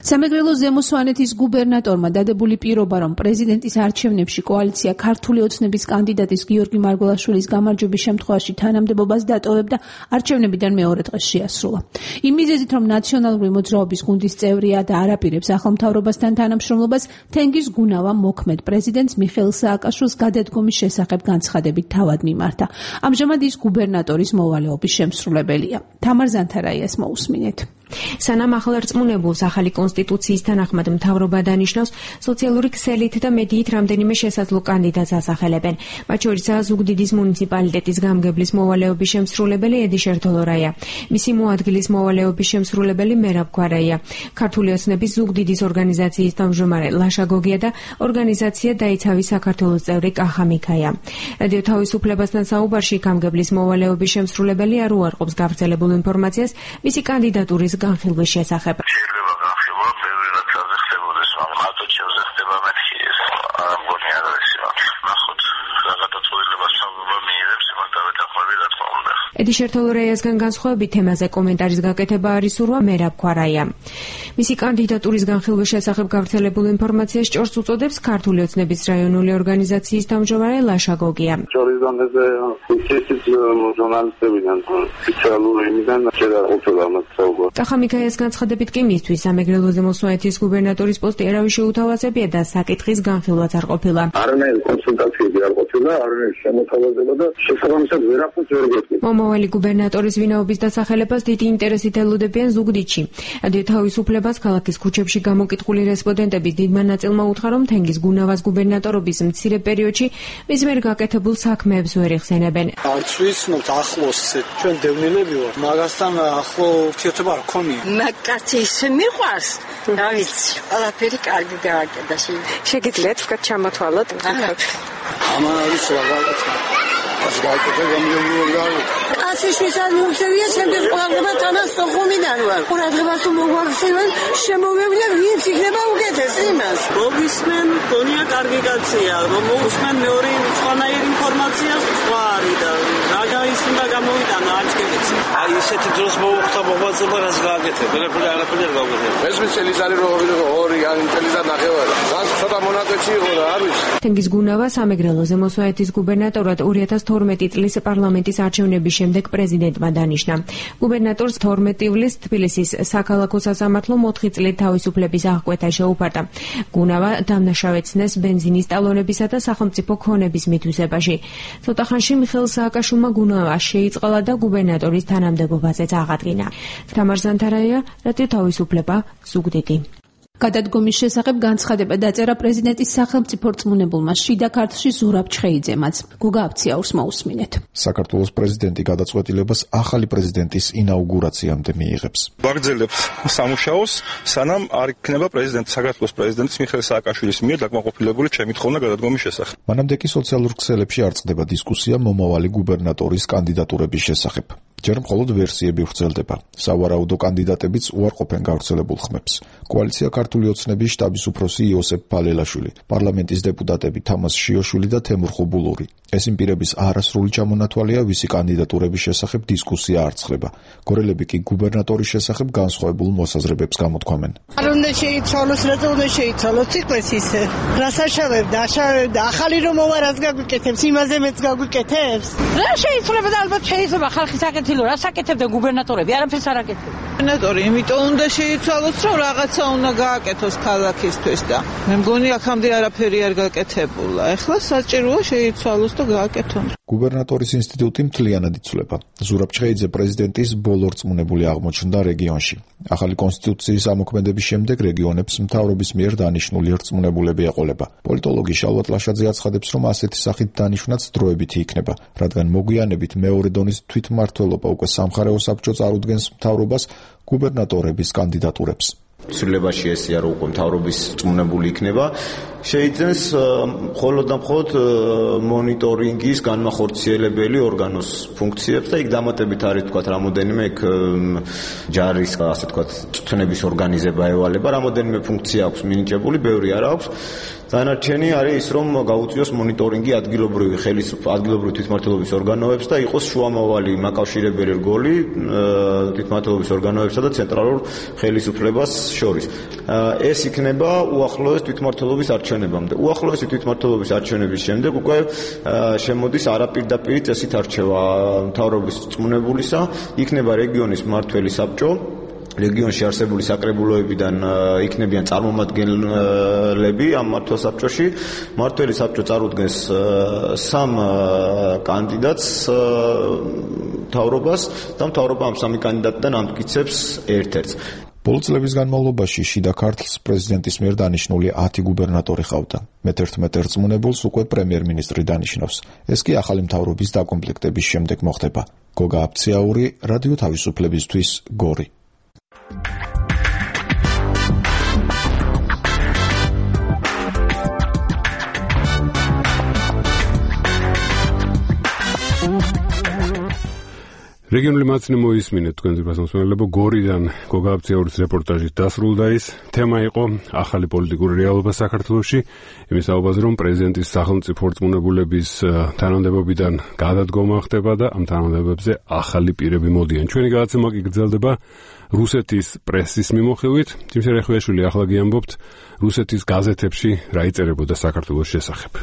სამეგრელო ზემო სვანეთის გუბერნატორმა დადებული პირობა, რომ პრეზიდენტის არჩევნებში კოალიცია ქართული ოცნების კანდიდატის გიორგი მარგველაშვილის გამარჯვების შემთხვევაში თანამდებობას დატოვებდა, არჩევნებიდან მეორე დღეს შეასრულა. იმ მიზეზით, რომ ნაციონალური მოძრაობის გუნდის წევრია და არაპირებს ახლომთავრობასთან თანამშრომლობას, თენგიზ გუნავა მოქმედ პრეზიდენტს მიხეილ სააკაშვილს გადადგომის შესახებ განცხადებით თავად მიმართა. ამჟამად ის გუბერნატორის მოვალეობის შემსრულებელია. თამარ ზანთარაიას მოусმინეთ. სანამ ახალარწმუნებულს ახალი კონსტიტუციის თანახმად მთავრობა დანიშნავს, სოციალური ქსელით და მედიით რამდენიმე შესაძლო კანდიდატს ასახელებენ. მათ შორისაა ზუგდიდის მუნიციპალიტეტის გამგებლის მოვალეობის შემსრულებელი ედი შერთოლორაია, მისი მოადგილის მოვალეობის შემსრულებელი მერაბ ქვარაია, ქართული ოცნების ზუგდიდის ორგანიზაციის თავმჯდომარე ლაშა გოგია და ორგანიზაცია დაიცავი საქართველოს წევრი კახა მიქაია. რადიო თავისუფლებასთან საუბარში გამგებლის მოვალეობის შემსრულებელი არ უარყოფს გავრცელებულ ინფორმაციას მისი კანდიდატურის განხილვის შესახებ. შეიძლება განხილვა ბევრი რაცაზე ხდებოდეს, მაგრამ მარტო ჩემზე ხდება მეთქი ეს არ მგონი არ არის იმათ. ნახოთ რა გადაწყვეტილებას თავობა მიიღებს იმათ დავეთანხმები რა თქმა უნდა. ედი შერთოლორაიასგან განსხვავებით თემაზე კომენტარის გაკეთება არ ისურვა მერაბ ქვარაია. მისი კანდიდატურის განხილვის შესახებ გავრცელებულ ინფორმაციას ჭორს უწოდებს ქართული ოცნების რაიონული ორგანიზაციის თავმჯდომარე ლაშა გოგია. ჭორის დონეზე ისიც ჟურნალისტებიდან სპეციალური იმიდან შეიძლება უწოდა მას საუბარი. კახა მიქაიას განცხადებით კი მისთვის სამეგრელოზე მოსვენეთის გუბერნატორის პოსტი ერავის შეუთავაზებია და საკითხის განხილვაც არ ყოფილა. არანაირი კონსულტაციები არ ყოფილა, არანაირი შემოთავაზება და შესაბამისად ვერაფერს ვერ გეტყვით. მომავალი გუბერნატორის ვინაობის დასახელებას დიდი ინტერესით ელოდებიან ზუგდიდში. რადიო თავისუფლებას ქალაქის ქუჩებში გამოკითხული რესპონდენტების დიდმა ნაწილმა უთხრა, რომ თენგიზ გუნავას გუბერნატორობის მცირე პერიოდში მის მიერ გაკეთებულ საქმეებს ვერ იხსენებენ. არც ვიცნობთ ახლოს ჩვენ დევნილები ვართ, მაგასთან ახლო ურთიერთობა არ ქონია. მაგკაცი ისე მიყვარს, რა ვიცი, ყველაფერი კარგი გააკეთა. შეგიძლიათ ვთქვათ ჩამოთვალოთ? ამან არის რა გაკეთება. ას გააკეთა გამიგვიოგავ. ასიშვის ანიუსებია შემდგომ ყურადღება თანას სოხუმიდან ვარ. ყურადღებას თუ მოგვახსენებენ, შემოვევლია ვინც იქნება უკეთეს იმას. მოგისმენ, გონია კარგი კაცია, რომ მოусმენ მეორე სხვანაირი ინფორმაციას სხვა არის და რა გაისმდა გამოვიტანა არც კი ვიცი. აი ესეთი დროს მოუხდა მოღვაწეობა რაც გააკეთე, ვერაფერი არაფერი არ გავაკეთე. მესმის წელიწადი რო ვიდო ორი ან წელიწად ნახევარი. რაც ცოტა მონაკვეთი იყო რა არის. თენგიზ გუნავა სამეგრელოზე მოსვენეთის გუბერნატორად ორი ათას თორმეტი წლის პარლამენტის არჩევნების შემდეგ პრეზიდენტმა დანიშნა. გუბერნატორს თორმეტი ივლისს თბილისის საქალაქო სასამართლომ ოთხი წლით თავისუფლების აღკვეთა შეუფარდა. გუნავა დამნაშავე ცნეს ბენზინის ტალონებისა და სახელმწიფო ქონების მითვისებაში. ცოტა ხანში მიხეილ სააკაშვილმა გუნავა შეიწყალა და გუბერნატორის თანამდებობაზეც აღადგინა. თამარ ზანთარაია, რადიო თავისუფლება, ზუგდიდი. გადადგომის შესახებ განცხადება დაწერა პრეზიდენტის სახელმწიფო რწმუნებულმა შიდა ქართლში ზურაბ ჩხეიძემაც. გუგა აფციაურს მოусმინეთ. საქართველოს პრეზიდენტი გადაწყვეტილებას ახალი პრეზიდენტის ინაუგურაციამდე მიიღებს. ვაგრძელებთ სამუშაოს, სანამ არ იქნება პრეზიდენტი საქართველოს პრეზიდენტის მიხეილ სააკაშვილის მიერ დაკმაყოფილებული ჩემი თხოვნა გადადგომის შესახებ. მანამდე კი სოციალურ ქსელებში არ წყდება დისკუსია მომავალი გუბერნატორის კანდიდატურების შესახებ. ჯერ მხოლოდ ვერსიები ვრცელდება. სავარაუდო კანდიდატებიც უარყოფენ გავრცელებულ ხმებს. კოალიცია ქართული ოცნების შტაბის უფროსი იოსებ ფალელაშვილი, პარლამენტის დეპუტატები თამას შიოშვილი და თემურ ხუბულური. ეს იმ პირების არასრული ჩამონათვალია, ვისი კანდიდატურების შესახებ დისკუსია არ ცხდება. გორელები კი გუბერნატორის შესახებ განსხვავებულ მოსაზრებებს გამოთქვამენ. არ უნდა შეიცვალოს, რა უნდა შეიცვალოს, ციხეს ისე. რას აშავებდა, აშავებდა, ახალი რომ მოვა რაც გაგვიკეთებს, იმაზე მეც გაგვიკეთებს. რა შეიცვალება და ალბათ შეიძლება ხალხის აკეთილო, რა საკეთებდა გუბერნატორები, არაფერს არ აკეთებდა. გუბერნატორი იმიტომ უნდა შეიცვალოს, რომ რაღაცა უნდა გააკეთოს ქალაქისთვის და მე მგონი აქამდე არაფერი არ გაკეთებულა. ეხლა საჭიროა შეიცვალოს და გააკეთონ. გუბერნატორის ინსტიტუტი მთლიანად იცვლება. ზურაბ ჩხეიძე პრეზიდენტის ბოლო რწმუნებული აღმოჩნდა რეგიონში. ახალი კონსტიტუციის ამოქმედების შემდეგ რეგიონებს მთავრობის მიერ დანიშნული რწმუნებულები ეყოლება. პოლიტოლოგი შალვატ ლაშაძე აცხადებს, რომ ასეთი სახით დანიშვნაც დროებითი იქნება, რადგან მოგვიანებით მეორე დონის თვითმმართველობა უკვე სამხარეო საბჭო წარუდგენს მთავრობას გუბერნატორების კანდიდატურებს. ცვლილებაში ესია რომ უკვე მთავრობის რწმუნებული იქნება, შეიძენს მხოლოდ და მხოლოდ მონიტორინგის განმახორციელებელი ორგანოს ფუნქციებს და იქ დამატებით არის თქვათ რამოდენიმე იქ ჯარის ასე თქვათ წვნების ორგანიზება ევალება, რამოდენიმე ფუნქცია აქვს მინიჭებული, ბევრი არ აქვს. დანარჩენი არის ის, რომ გაუწიოს მონიტორინგი ადგილობრივი ხელისუფლების ადგილობრივი თვითმმართველობის ორგანოებს და იყოს შუამავალი მაკავშირებელი რგოლი თვითმმართველობის ორგანოებსა და ცენტრალურ ხელისუფლებას შორის. ეს იქნება უახლოეს თვითმმართველობის არჩევნებამდე. უახლოესი თვითმმართველობის არჩევნების შემდეგ უკვე შემოდის არაპირდაპირი წესით არჩევა მთავრობის რწმუნებულისა, იქნება რეგიონის მმართველი საბჭო. რეგიონში არსებული საკრებულოებიდან იქნებიან წარმომადგენლები ამ მმართველ საბჭოში. მმართველი საბჭო წარუდგენს სამ კანდიდატს მთავრობას და მთავრობა ამ სამი კანდიდატიდან ამტკიცებს ერთ-ერთს. ბოლო წლების განმავლობაში შიდა ქართლს პრეზიდენტის მიერ დანიშნული ათი გუბერნატორი ყავდა. მეთერთმეტ რწმუნებულს უკვე პრემიერ-მინისტრი დანიშნავს. ეს კი ახალი მთავრობის დაკომპლექტების შემდეგ მოხდება. გოგა აფციაური, რადიო თავისუფლებისთვის, გორი. რეგიონული მაცნე მოისმინეთ თქვენს გასამსმელებო გორიდან გოგა აფციაურის რეპორტაჟით დასრულდა ის. თემა იყო ახალი პოლიტიკური რეალობა საქართველოში. იმის საუბარზე, რომ პრეზიდენტის სახელმწიფო რწმუნებულების თანამდებობიდან გადადგომა ხდება და ამ თანამდებობებზე ახალი პირები მოდიან. ჩვენი გადაცემა კი გრძელდება რუსეთის პრესის მიმოხილვით. თიმშე რეხვიაშვილი ახლა გიამბობთ რუსეთის გაზეთებში რა იწერებოდა საქართველოს შესახებ.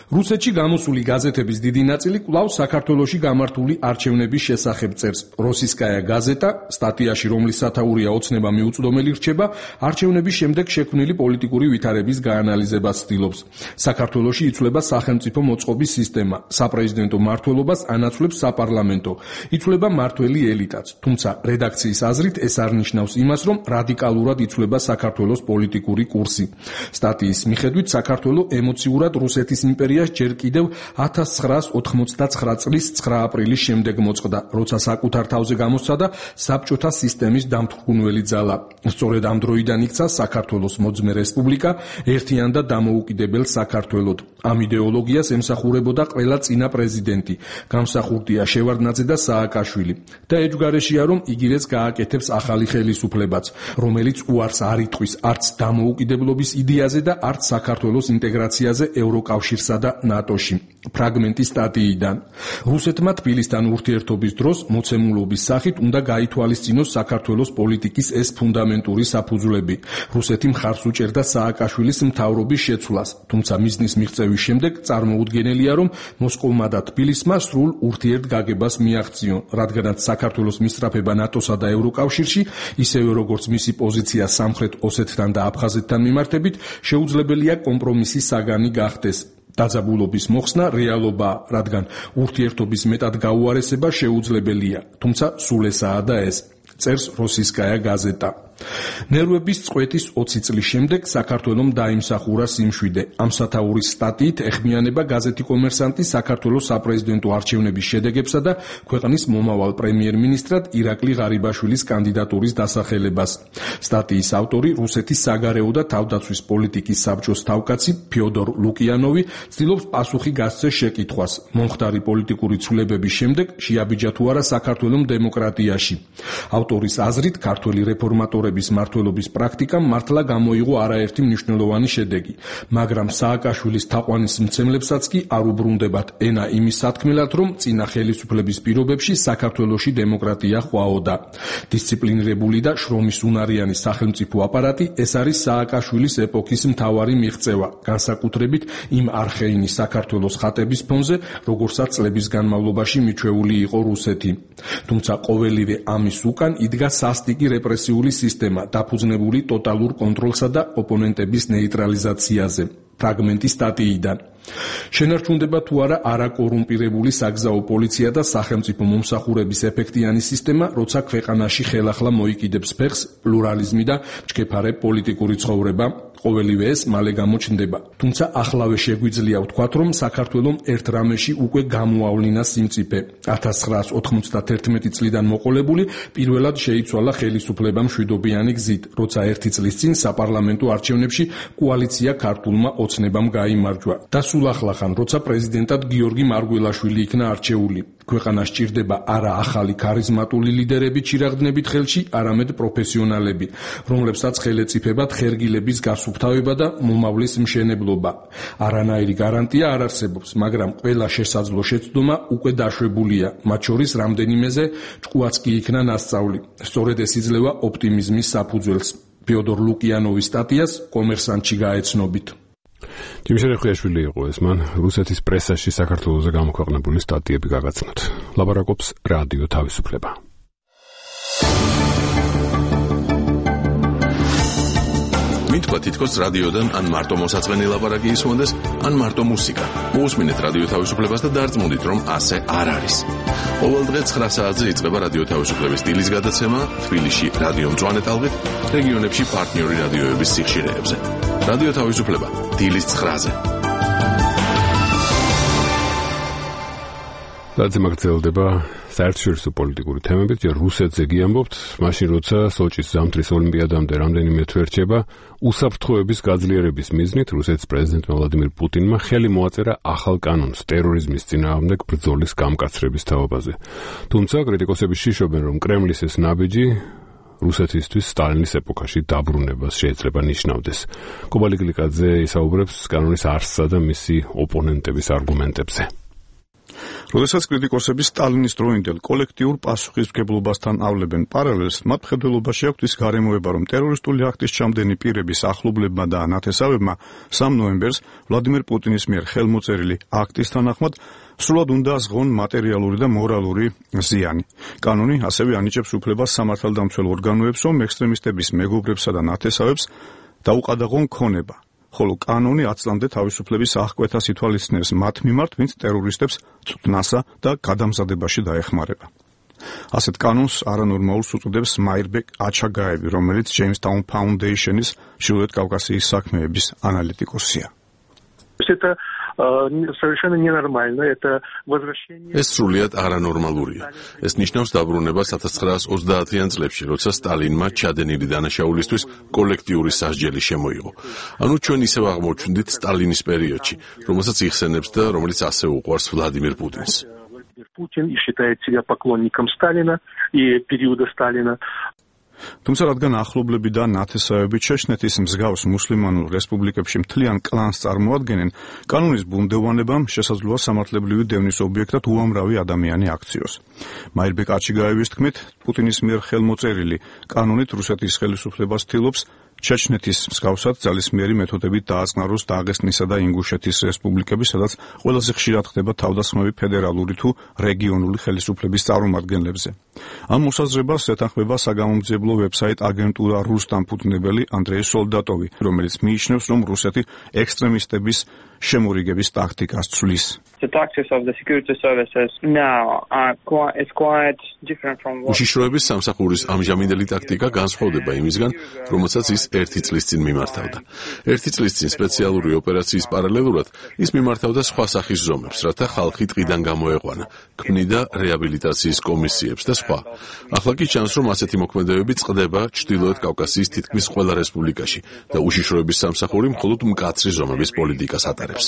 რუსეთში გამოსული გაზეთების დიდი ნაწილი კვლავ საქართველოში გამართული არჩევნების შესახებ წერს. როსისკაია გაზეტა სტატიაში, რომლის სათაურია ოცნება მიუწვდომელი რჩება, არჩევნების შემდეგ შექმნილი პოლიტიკური ვითარების გაანალიზებას ცდილობს. საქართველოში იცვლება სახელმწიფო მოწყობის სისტემა, საპრეზიდენტო მმართველობას ანაცვლებს საპარლამენტო, იცვლება მმართველი ელიტაც. თუმცა რედაქციის აზრით ეს არ ნიშნავს იმას, რომ რადიკალურად იცვლება საქართველოს პოლიტიკური კურსი. სტატიის მიხედვით საქართველო ემოციურად რუსეთის იმპერიას ჯერ კიდევ ათას ცხრაას ოთხმოცდაცხრა წლის ცხრა აპრილის შემდეგ მოწყდა, როცა საკუთარ თავზე გამოსცადა საბჭოთა სისტემის დამთვრგუნველი ძალა. სწორედ ამ დროიდან იქცა საქართველოს მოძმე რესპუბლიკა ერთიან და დამოუკიდებელ საქართველოდ. ამ იდეოლოგიას ემსახურებოდა ყველა წინა პრეზიდენტი, გამსახურდია შევარდნაძე და სააკაშვილი. და ეჯგარეშია, რომ იგივეც გააკეთებს ახალი ხელისუფლებაც, რომელიც უარს არ იტყვის არც დამოუკიდებლობის იდეაზე და არც საქართველოს ინტეგრაციაზე ევროკავშირსა და ნატოში. ფრაგმენტი სტატიიდან. რუსეთმა თბილისთან ურთიერთობის დროს მოცემულობის სახით უნდა გაითვალისწინოს საქართველოს პოლიტიკის ეს ფუნდამენტური საფუძვლები. რუსეთი მხარს უჭერდა სააკაშვილის მთავრობის შეცვლას, თუმცა მიზნის მიღწევის შემდეგ წარმოუდგენელია, რომ მოსკოვმა და თბილისმა სრულ ურთიერთგაგებას მიაღწიონ, რადგანაც საქართველოს მისწრაფება ნატოსა და ევროკავშირში, ისევე როგორც მისი პოზიცია სამხრეთ ოსეთთან და აფხაზეთთან მიმართებით, შეუძლებელია კომპრომისის საგანი გახდეს. დაძაბულობის მოხსნა რეალობაა, რადგან ურთიერთობის მეტად გაუარესება შეუძლებელია, თუმცა სულ ესაა და ეს. წერს როსისკაია გაზეტა. ნერვების წყვეტის ოცი წლის შემდეგ საქართველომ დაიმსახურა სიმშვიდე. ამ სათაურის სტატიით ეხმიანება გაზეთი კომერსანტი საქართველოს საპრეზიდენტო არჩევნების შედეგებსა და ქვეყნის მომავალ პრემიერ-მინისტრად ირაკლი ღარიბაშვილის კანდიდატურის დასახელებას. სტატიის ავტორი რუსეთის საგარეო და თავდაცვის პოლიტიკის საბჭოს თავკაცი ფიოდორ ლუკიანოვი ცდილობს პასუხი გასცეს შეკითხვას. მომხდარი პოლიტიკური ცვლილებების შემდეგ შეაბიჯა თუ არა საქართველოს დემოკრატიაში. ავტორის აზრით ქართველი რეფორმატორები მმართველობის პრაქტიკამ მართლა გამოიღო არაერთი მნიშვნელოვანი შედეგი, მაგრამ სააკაშვილის თაყვანის მცემლებსაც კი არ უბრუნდებათ ენა იმის სათქმელად, რომ წინა ხელისუფლების პირობებში საქართველოში დემოკრატია ყვაოდა. დისციპლინირებული და შრომის უნარიანი სახელმწიფო აპარატი ეს არის სააკაშვილის ეპოქის მთავარი მიღწევა, განსაკუთრებით იმ არხეინის საქართველოს ხატების ფონზე, როგორცაც წლების განმავლობაში მიჩვეული იყო რუსეთი. თუმცა ყოველივე ამის უკან იდგა სასტიკი რეპრესიული სისტემა, დაფუძნებული ტოტალურ კონტროლსა და ოპონენტების ნეიტრალიზაციაზე. ფრაგმენტი სტატიიდან. შენარჩუნდება თუ არა არაკორუმპირებული საგზაო პოლიცია და სახელმწიფო მომსახურების ეფექტიანი სისტემა, როცა ქვეყანაში ხელახლა მოიკიდებს ფეხს პლურალიზმი და მჩქეფარე პოლიტიკური ცხოვრება, ყოველივე ეს მალე გამოჩნდება. თუმცა ახლავე შეგვიძლია ვთქვათ, რომ საქართველომ ერთ რამეში უკვე გამოავლინა სიმწიფე. ათას ცხრაას ოთხმოცდაათი წლიდან მოყოლებული პირველად შეიცვალა ხელისუფლება მშვიდობიანი გზით, როცა ერთი წლის წინ საპარლამენტო არჩევნებში კოალიცია ქართულმა ოცნებამ გაიმარჯვა. და სულ ახლახან, როცა პრეზიდენტად გიორგი მარგველაშვილი იქნა არჩეული. ქვეყანას ჭირდება არა ახალი ქარიზმატული ლიდერები ჩირაღდნებით ხელში, არამედ პროფესიონალები, რომლებსაც ხელეწიფებათ ხერგილების გასუფთავება და მომავლის მშენებლობა. არანაირი გარანტია არ არსებობს, მაგრამ ყველა შესაძლო შეცდომა უკვე დაშვებულია, მათ შორის რამდენიმეზე ჭკუაც კი იქნა ნასწავლი. სწორედ ეს იძლევა ოპტიმიზმის საფუძველს. ფიოდორ ლუკიანოვის სტატიას კომერსანტში გაეცნობით. თიმშე რეხვიაშვილი იყო ეს, მან რუსეთის პრესაში საქართველოზე გამოქვეყნებული სტატიები გაგაცნოთ. ლაპარაკობს რადიო თავისუფლება. მითქვა თითქოს რადიოდან ან მარტო მოსაწყენი ლაპარაკი ისმონდეს, ან მარტო მუსიკა. მოусმინეთ რადიო თავისუფლებას და დარწმუნდით, რომ ასე არ არის. ყოველ დღე ცხრა საათზე იწყება რადიო თავისუფლების დილის გადაცემა თბილისში რადიო მწვანე ტალღით, რეგიონებში პარტნიორი რადიოების სიხშირეებზე. რადიო თავისუფლება დილის ცხრაზე. დაცემ გრძელდება საერთაშორისო პოლიტიკური თემებით, ჯერ რუსეთზე გიამბობთ, მაშინ როცა სოჭის ზამთრის ოლიმპიადამდე რამდენიმე თვე რჩება, უსაფრთხოების გაძლიერების მიზნით რუსეთის პრეზიდენტმა ვლადიმირ პუტინმა ხელი მოაწერა ახალ კანონს ტერორიზმის წინააღმდეგ ბრძოლის გამკაცრების თაობაზე. თუმცა კრიტიკოსები შიშობენ, რომ კრემლის ეს ნაბიჯი რუსეთისთვის სტალინის ეპოქაში დაბრუნებას შეიძლება ნიშნავდეს. კობალი გლიკაძე ისაუბრებს კანონის არსსა და მისი ოპონენტების არგუმენტებზე. როდესაც კრიტიკოსები სტალინის დროინდელ კოლექტიურ პასუხისმგებლობასთან ავლებენ პარალელს, მათ მხედველობაში აქვთ ის გარემოება, რომ ტერორისტული აქტის ჩამდენი პირების ახლობლებმა და ნათესავებმა სამ ნოემბერს ვლადიმირ პუტინის მიერ ხელმოწერილი აქტის თანახმად სრულად უნდა ზღონ მატერიალური და მორალური ზიანი. კანონი ასევე ანიჭებს უფლებას სამართალდამცველ ორგანოებს, რომ ექსტრემისტების მეგობრებსა და ნათესავებს დაუყადაღონ ქონება. ხოლო კანონი ათ წლამდე თავისუფლების აღკვეთას ითვალისწინებს მათ მიმართ, ვინც ტერორისტებს წვნასა და გადამზადებაში დაეხმარება. ასეთ კანონს არანორმალურს უწოდებს მაირბეკ აჩაგაევი, რომელიც Jamestown Foundation-ის ჩრდილოეთ კავკასიის საქმეების ანალიტიკოსია. ეს სრულიად არანორმალურია. ეს ნიშნავს დაბრუნებას ათას ცხრაას ოცდაათიან წლებში, როცა სტალინმა ჩადენილი დანაშაულისთვის კოლექტიური სასჯელი შემოიღო. ანუ ჩვენ ისევ აღმოჩნდით სტალინის პერიოდში, რომელსაც იხსენებს და რომელიც ასე უყვარს ვლადიმირ პუტინს. Путин и считает себя поклонником Сталина и периода Сталина. თუმცა რადგან ახლობლები და ნათესავები ჩეჩნეთის მსგავს მუსლიმანურ რესპუბლიკებში მთლიან კლანს წარმოადგენენ, კანონის ბუნდოვანებამ შესაძლოა სამართლებრივი დევნის ობიექტად უამრავი ადამიანი აქციოს. მაირბეკ აჩიგაევის თქმით, პუტინის მიერ ხელმოწერილი კანონით რუსეთის ხელისუფლებას ცდილობს ჩეჩნეთის მსგავსად ძალისმიერი მეთოდებით დააწყნაროს დაღესტნისა და ინგუშეთის რესპუბლიკები, სადაც ყველაზე ხშირად ხდება თავდასხმები ფედერალური თუ რეგიონული ხელისუფლების წარმომადგენლებზე. ამ მოსაზრებას ეთანხმება საგამომძიებლო ვებსაიტ აგენტურა რუსთან ფუძნებელი ანდრეი სოლდატოვი, რომელიც მიიჩნევს, რომ რუსეთი ექსტრემისტების შემორიგების ტაქტიკას ცვლის. The tactics of the security services now are quite, it's quite different from what... უშიშროების სამსახურის ამჟამინდელი ტაქტიკა განსხვავდება იმისგან, რომელსაც ის ერთი წლის წინ მიმართავდა. ერთი წლის წინ სპეციალური ოპერაციის პარალელურად ის მიმართავდა სხვა სახის ზომებს, რათა ხალხი ტყიდან გამოეყვანა, ქმნიდა რეაბილიტაციის კომისიებს და სხვა. ახლა კი ჩანს, რომ ასეთი მოქმედებები წყდება ჩრდილოეთ კავკასიის თითქმის ყველა რესპუბლიკაში და უშიშროების სამსახური მხოლოდ მკაცრი ზომების პოლიტიკას ატარებს.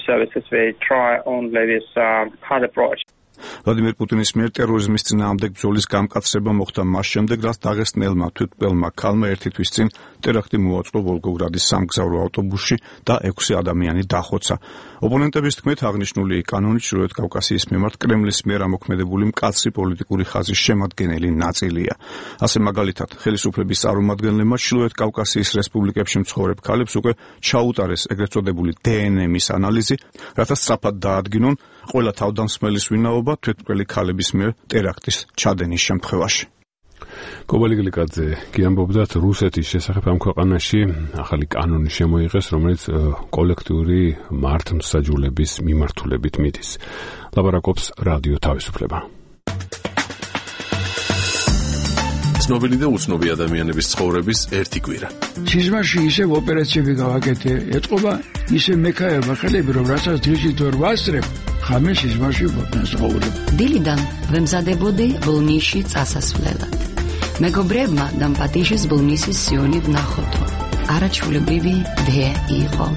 services they try only this uh, hard approach. ვლადიმირ პუტინის მიერ ტერორიზმის წინააღმდეგ ბრძოლის გამკაცრება მოხდა მას შემდეგ, რაც დაღესტნელმა თვითმკვლელმა ქალმა ერთი თვის წინ ტერაქტი მოაწყო ვოლგოგრადის სამგზავრო ავტობუსში და ექვსი ადამიანი დახოცა. ოპონენტების თქმით, აღნიშნული კანონი ჩრდილოეთ კავკასიის მიმართ კრემლის მიერ ამოქმედებული მკაცრი პოლიტიკური ხაზის შემადგენელი ნაწილია. ასე მაგალითად, ხელისუფლების წარმომადგენლებმა ჩრდილოეთ კავკასიის რესპუბლიკებში მცხოვრებ ქალებს უკვე ჩაუტარეს ეგრეთ წოდებული დე ენ ემის ანალიზი, რათა სწრაფად დაადგინონ ყველა თავდამსხმელის ვინაობა თვითმკვლელი ქალების მიერ ტერაქტის ჩადენის შემთხვევაში. კობალი გლიკაძე გიამბობდათ რუსეთის შესახებ ამ ქვეყანაში ახალი კანონი შემოიღეს, რომელიც კოლექტიური მართლმსაჯულების მიმართულებით მიდის. ლაპარაკობს რადიო თავისუფლება. ცნობილი და უცნობი ადამიანების ცხოვრების ერთი კვირა. სიზმარში ისევ ოპერაციები გავაკეთე, ეთყობა ისე მექაება ხელები, რომ რასაც დღისით ვერ ვასწრებ, ხამე სიზმარში ვასწავლებ. დილიდან ვემზადებოდი ბლნიში წასასვლელად. მეგობრებმა დამპატიშეს ბლნისის სიონი ვნახოთო. არაჩვეულებრივი დე იყო.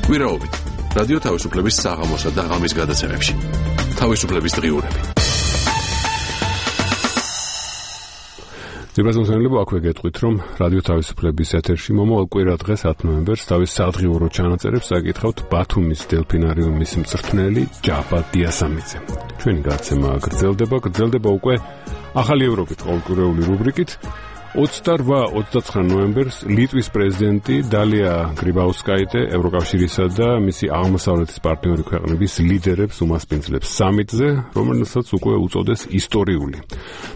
კვირაობით რადიო თავისუფლების საღამოსა და ღამის გადაცემებში. თავისუფლების დღიურები. ძირფასმოსმენლებო, აქვე გეტყვით, რომ რადიო თავისუფლების ეთერში მომავალ კვირა დღეს ათი ნოემბერს თავის სადღიურო ჩანაწერებს აკითხავთ ბათუმის დელფინარიუმის მწვრთნელი ჯაბა დიასამიძე. ჩვენი გადაცემა გრძელდება, გრძელდება უკვე ახალი ევროპით ყოველკვირეული რუბრიკით. ოცდაოთხ ოცდაცხრა ნოემბერს ლიტვის პრეზიდენტი დალია გრიბაუსკაიტე ევროკავშირისა და მისი აღმოსავლეთის პარტნიორი ქვეყნების ლიდერებს უმასპინძლებს სამიტზე, რომელსაც უკვე უწოდეს ისტორიული.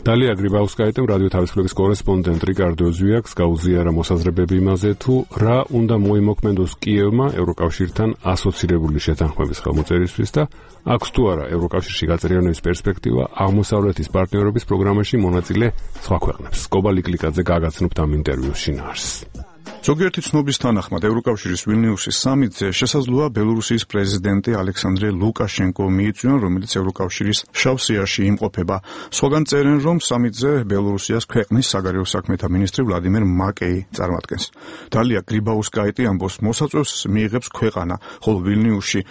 დალია გრიბაუსკაიტემ რადიო თავისუფლების კორესპონდენტ რიკარდო ზვიაკს გაუზიარა მოსაზრებები იმაზე, თუ რა უნდა მოიმოქმედოს კიევმა ევროკავშირთან ასოცირებული შეთანხმების ხელმოწერისთვის და აქვს თუ არა ევროკავშირში გაწევრიანების პერსპექტივა აღმოსავლეთის პარტნიორობის პროგრამაში მონაწილე სხვა ქვეყნებს. კობალი კლიკაძე გაგაცნობთ ამ ინტერვიუს შინაარსს. ზოგიერთი ცნობის თანახმად ევროკავშირის ვილნიუსის სამიტზე შესაძლოა ბელორუსიის პრეზიდენტი ალექსანდრე ლუკაშენკო მიიწვიონ, რომელიც ევროკავშირის შავ სიაში იმყოფება. სხვაგან წერენ, რომ სამიტზე ბელორუსიას ქვეყნის საგარეო საქმეთა მინისტრი ვლადიმერ მაკეი წარმოადგენს. დალია გრიბაუსკაიტე ამბობს, მოსაწვევს მიიღებს ქვეყანა, ხოლო ვილნიუსში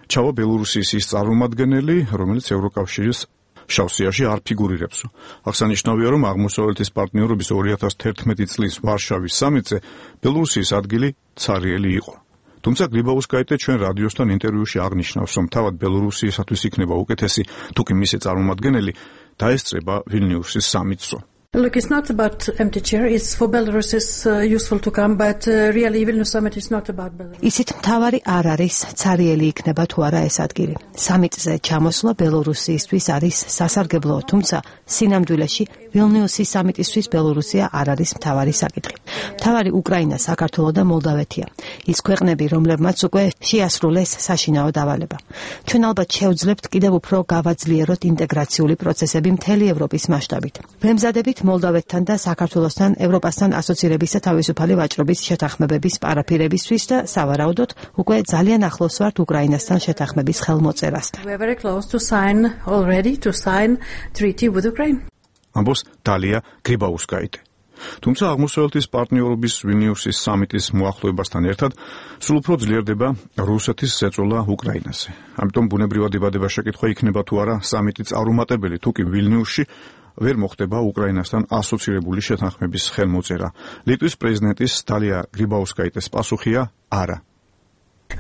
ჩავა ბელორუსიის ის წარმომადგენელი, რომელიც ევროკავშირის შავ სიაში არ ფიგურირებს. აღსანიშნავია, რომ აღმოსავლეთის პარტნიორობის ორი ათას თერთმეტი წლის ვარშავის სამიტზე ბელორუსიის ადგილი ცარიელი იყო. თუმცა გრიბაუსკაიტე ჩვენ რადიოსთან ინტერვიუში აღნიშნავს, რომ თავად ბელორუსიისათვის იქნება უკეთესი, თუკი მისი წარმომადგენელი დაესწრება ვილნიუსის სამიტსო. Look, it's not about empty chair. It's for Belarus is uh, useful to come, but uh, really Vilnius summit is not about Belarus. ისიც მთავარი არ არის ცარიელი იქნება თუ არა ეს ადგილი. სამიტზე ჩამოსვლა ბელორუსიისთვის არის სასარგებლო, თუმცა სინამდვილეში ვილნიუსის სამიტისთვის ბელორუსია არ არის მთავარი საკითხი. მთავარი უკრაინა, საქართველო და მოლდავეთია. ის ქვეყნები, რომლებმაც უკვე შეასრულეს საშინაო დავალება. ჩვენ ალბათ შევძლებთ კიდევ უფრო გავაძლიეროთ ინტეგრაციული პროცესები მთელი ევროპის მასშტაბით. ვემზადებით მოლდავეთთან და საქართველოსთან ევროპასთან ასოცირების და თავისუფალი ვაჭრობის შეთანხმებების პარაფირებისთვის და სავარაუდოდ უკვე ძალიან ახლოს ვართ უკრაინასთან შეთანხმების ხელმოწერასთან. We are very close to sign already to sign treaty with Ukraine. ამბობს დალია გრიბაუსკაიტე. თუმცა აღმოსავლეთის პარტნიორობის ვილნიუსის სამიტის მოახლოებასთან ერთად სულ უფრო ძლიერდება რუსეთის ზეწოლა უკრაინაზე. ამიტომ ბუნებრივად იბადება შეკითხვა იქნება თუ არა სამიტი წარუმატებელი, თუ კი ვილნიუსში ვერ მოხდება უკრაინასთან ასოცირებული შეთანხმების ხელმოწერა. ლიტვის პრეზიდენტის დალია გრიბაუსკაიტეს პასუხია არა.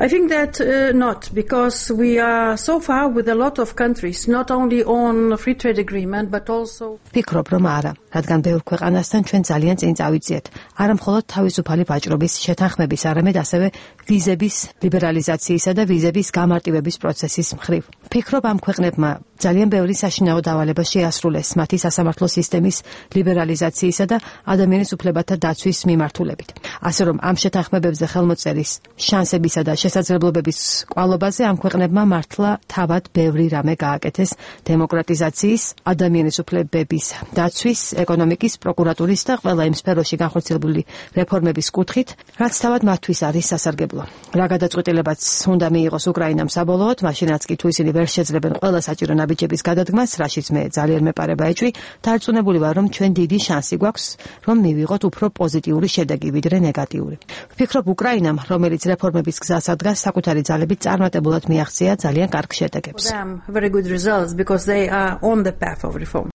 I think that uh, not, because we are so far with a lot of countries, not only on free trade agreement, but also. ფიქრობ, რომ არა, რადგან ბევრ ქვეყანასთან ჩვენ ძალიან წინ წავიწიეთ. არა მხოლოდ თავისუფალი ვაჭრობის შეთანხმების, არამედ ასევე ვიზების ლიბერალიზაციისა და ვიზების გამარტივების პროცესის მხრივ. ფიქრობ, ამ ქვეყნებმა ძალიან ბევრი საშინაო დავალება შეასრულეს მათი სასამართლო სისტემის ლიბერალიზაციისა და ადამიანის უფლებათა დაცვის მიმართულებით. ასე რომ ამ შეთანხმებებზე ხელმოწერის შანსებისა და შესაძლებლობების კვალობაზე ამ ქვეყნებმა მართლა თავად ბევრი რამე გააკეთეს დემოკრატიზაციის, ადამიანის უფლებების დაცვის, ეკონომიკის, პროკურატურის და ყველა იმ სფეროში განხორციელებული რეფორმების კუთხით, რაც თავად მათთვის არის სასარგებლო. რა გადაწყვეტილებაც უნდა მიიღოს უკრაინამ საბოლოოდ, მაშინაც კი თუ ისინი ვერ შეძლებენ ყველა საჭირო ნაბიჯების გადადგმას, რაშიც მე ძალიან მეპარება ეჭვი, დარწმუნებული ვარ, რომ ჩვენ დიდი შანსი გვაქვს, რომ მივიღოთ უფრო პოზიტიური შედეგი ვიდრე ნეგატიური. ვფიქრობ, უკრაინამ, რომელიც რეფორმების გზას ადგას, საკუთარი ძალებით წარმატებულად მიაღწია ძალიან კარგ შედეგებს. Very good results because they are on the path of reform.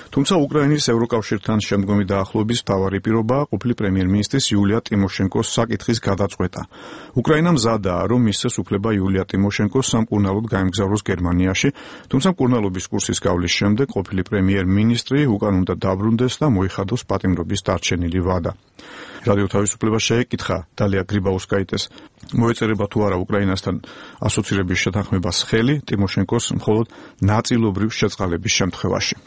თუმცა უკრაინის ევროკავშირთან შემდგომი დაახლოების მთავარი პირობაა ყოფილი პრემიერ-მინისტრის იულია ტიმოშენკოს საკითხის გადაწყვეტა. უკრაინა მზადაა, რომ მისცეს უფლება იულია ტიმოშენკოს სამკურნალოდ გაემგზავროს გერმანიაში, თუმცა მკურნალობის კურსის გავლის შემდეგ ყოფილი პრემიერ-მინისტრი უკან უნდა დაბრუნდეს და მოიხადოს პატიმრობის დარჩენილი ვადა. რადიო თავისუფლება შეეკითხა დალია გრიბაუსკაიტეს, მოეწერება თუ არა უკრაინასთან ასოცირების შეთანხმებას ხელი ტიმოშენკოს მხოლოდ ნაწილობრივ შეწყალების შემთხვევაში.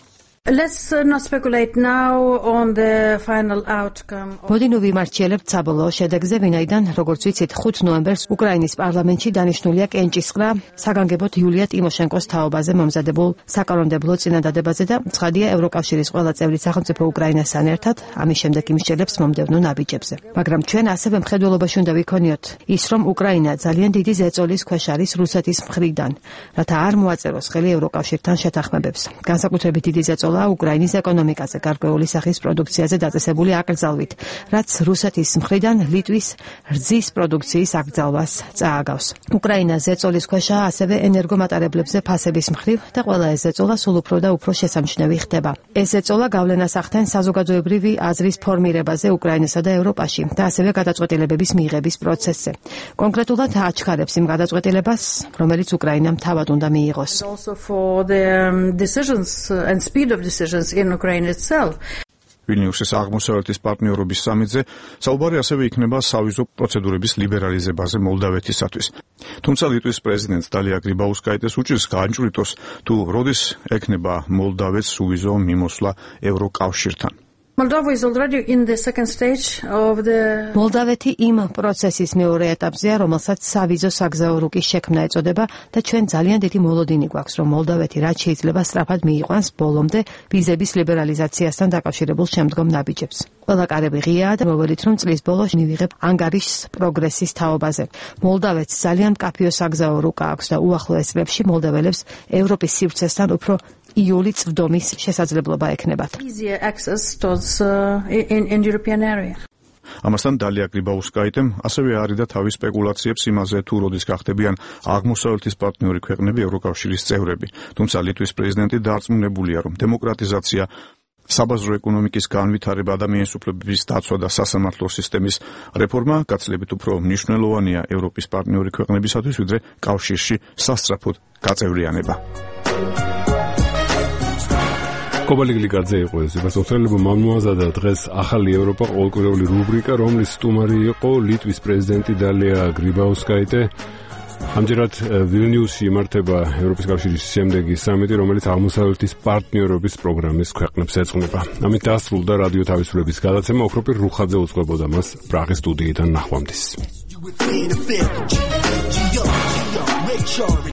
Let's uh, not speculate now on the final outcome. მოდი ნუ ვიმარჩიელებთ საბოლოო შედეგზე, ვინაიდან, როგორც ვიცით, ხუთი ნოემბერს უკრაინის პარლამენტში დანიშნულია კენჭისყრა საგანგებოდ იულია ტიმოშენკოს თაობაზე მომზადებულ საკანონმდებლო წინადადებაზე და ცხადია ევროკავშირის ყველა წევრი სახელმწიფო უკრაინასთან ერთად ამის შემდეგ იმსჯელებს მომდევნო ნაბიჯებზე. მაგრამ ჩვენ ასევე მხედველობაში უნდა ვიქონიოთ ის, რომ უკრაინა ძალიან დიდი ზეწოლის ქვეშ არის რუსეთის მხრიდან, რათა არ მოაწეროს ხელი ევროკავშირთან შეთანხმებებს. განსაკუთრებით დიდი ზეწოლა უკრაინის ეკონომიკაზე, გარკვეული სახის პროდუქციაზე დაწესებული აკრძალვით, რაც რუსეთის მხრიდან ლიტვის რძის პროდუქციის აკრძალვას წააგავს. უკრაინა ზეწოლის ქვეშაა ასევე ენერგომატარებლებზე ფასების მხრივ და ყველა ეს ზეწოლა სულ უფრო და უფრო შესამჩნევი ხდება. ეს ზეწოლა გავლენას ახდენს საზოგადოებრივი აზრის ფორმირებაზე უკრაინასა და ევროპაში და ასევე გადაწყვეტილებების მიღების პროცესზე. კონკრეტულად აჩქარებს იმ გადაწყვეტილებას, რომელიც უკრაინამ თავად უნდა მიიღოს. Also for the um, decisions and speed of decisions in Ukraine itself. ვილნიუსის აღმოსავლეთის პარტნიორობის სამიტზე საუბარი ასევე იქნება სავიზო პროცედურების ლიბერალიზებაზე მოლდავეთისათვის. თუმცა ლიტვის პრეზიდენტს დალია გრიბაუსკაიტეს უჭირს გაანჭვრიტოს თუ როდის ექნება მოლდავეთს სუვიზო მიმოსვლა ევროკავშირთან. Moldova is already in the second stage of the მოლდავეთი იმ პროცესის მეორე ეტაპზეა, რომელსაც სავიზო საგზაო რუკის შექმნა ეწოდება და ჩვენ ძალიან დიდი მოლოდინი გვაქვს, რომ მოლდავეთი რაც შეიძლება სწრაფად მიიყვანს ბოლომდე ვიზების ლიბერალიზაციასთან დაკავშირებულ შემდგომ ნაბიჯებს. ყველა კარები ღიაა და მოვედით, რომ წლის ბოლოს მივიღებ ანგარის პროგრესის თაობაზე. მოლდავეთს ძალიან მკაფიო საგზაო რუკა აქვს და უახლოეს წლებში მოლდაველებს ევროპის სივრცესთან უფრო იული წვდომის შესაძლებლობა ექნებათ. easier access towards uh, in, in European area. ამასთან დალია გრიბაუსკაიტემ ასევე არიდა თავის სპეკულაციებს იმაზე, თუ როდის გახდებიან აღმოსავლეთის პარტნიორი ქვეყნები ევროკავშირის წევრები. თუმცა ლიტვის პრეზიდენტი დარწმუნებულია, რომ დემოკრატიზაცია, საბაზრო ეკონომიკის განვითარება, ადამიანის უფლებების დაცვა და სასამართლო სისტემის რეფორმა გაცილებით უფრო მნიშვნელოვანია ევროპის პარტნიორი ქვეყნებისათვის, ვიდრე კავშირში სასწრაფოდ გაწევრიანება. კობალიგლიკაძე იყო ეს მოსწავლეობა მომმოაზადა დღეს ახალი ევროპა ყოველკვირეული რუბრიკა, რომლის სტუმარი იყო ლიტვის პრეზიდენტი დალია გრიბაუსკაიტე. ამჯერად ვილნიუსში იმართება ევროპის კავშირის შემდეგი სამიტი, რომელიც აღმოსავლეთის პარტნიორობის პროგრამის ქვეყნებს ეძღვნება. ამით დასრულდა რადიო თავისუფლების გადაცემა. ოქროპირ რუხაძე უწყებოდა მას პრაღის სტუდიიდან ნახვამდის.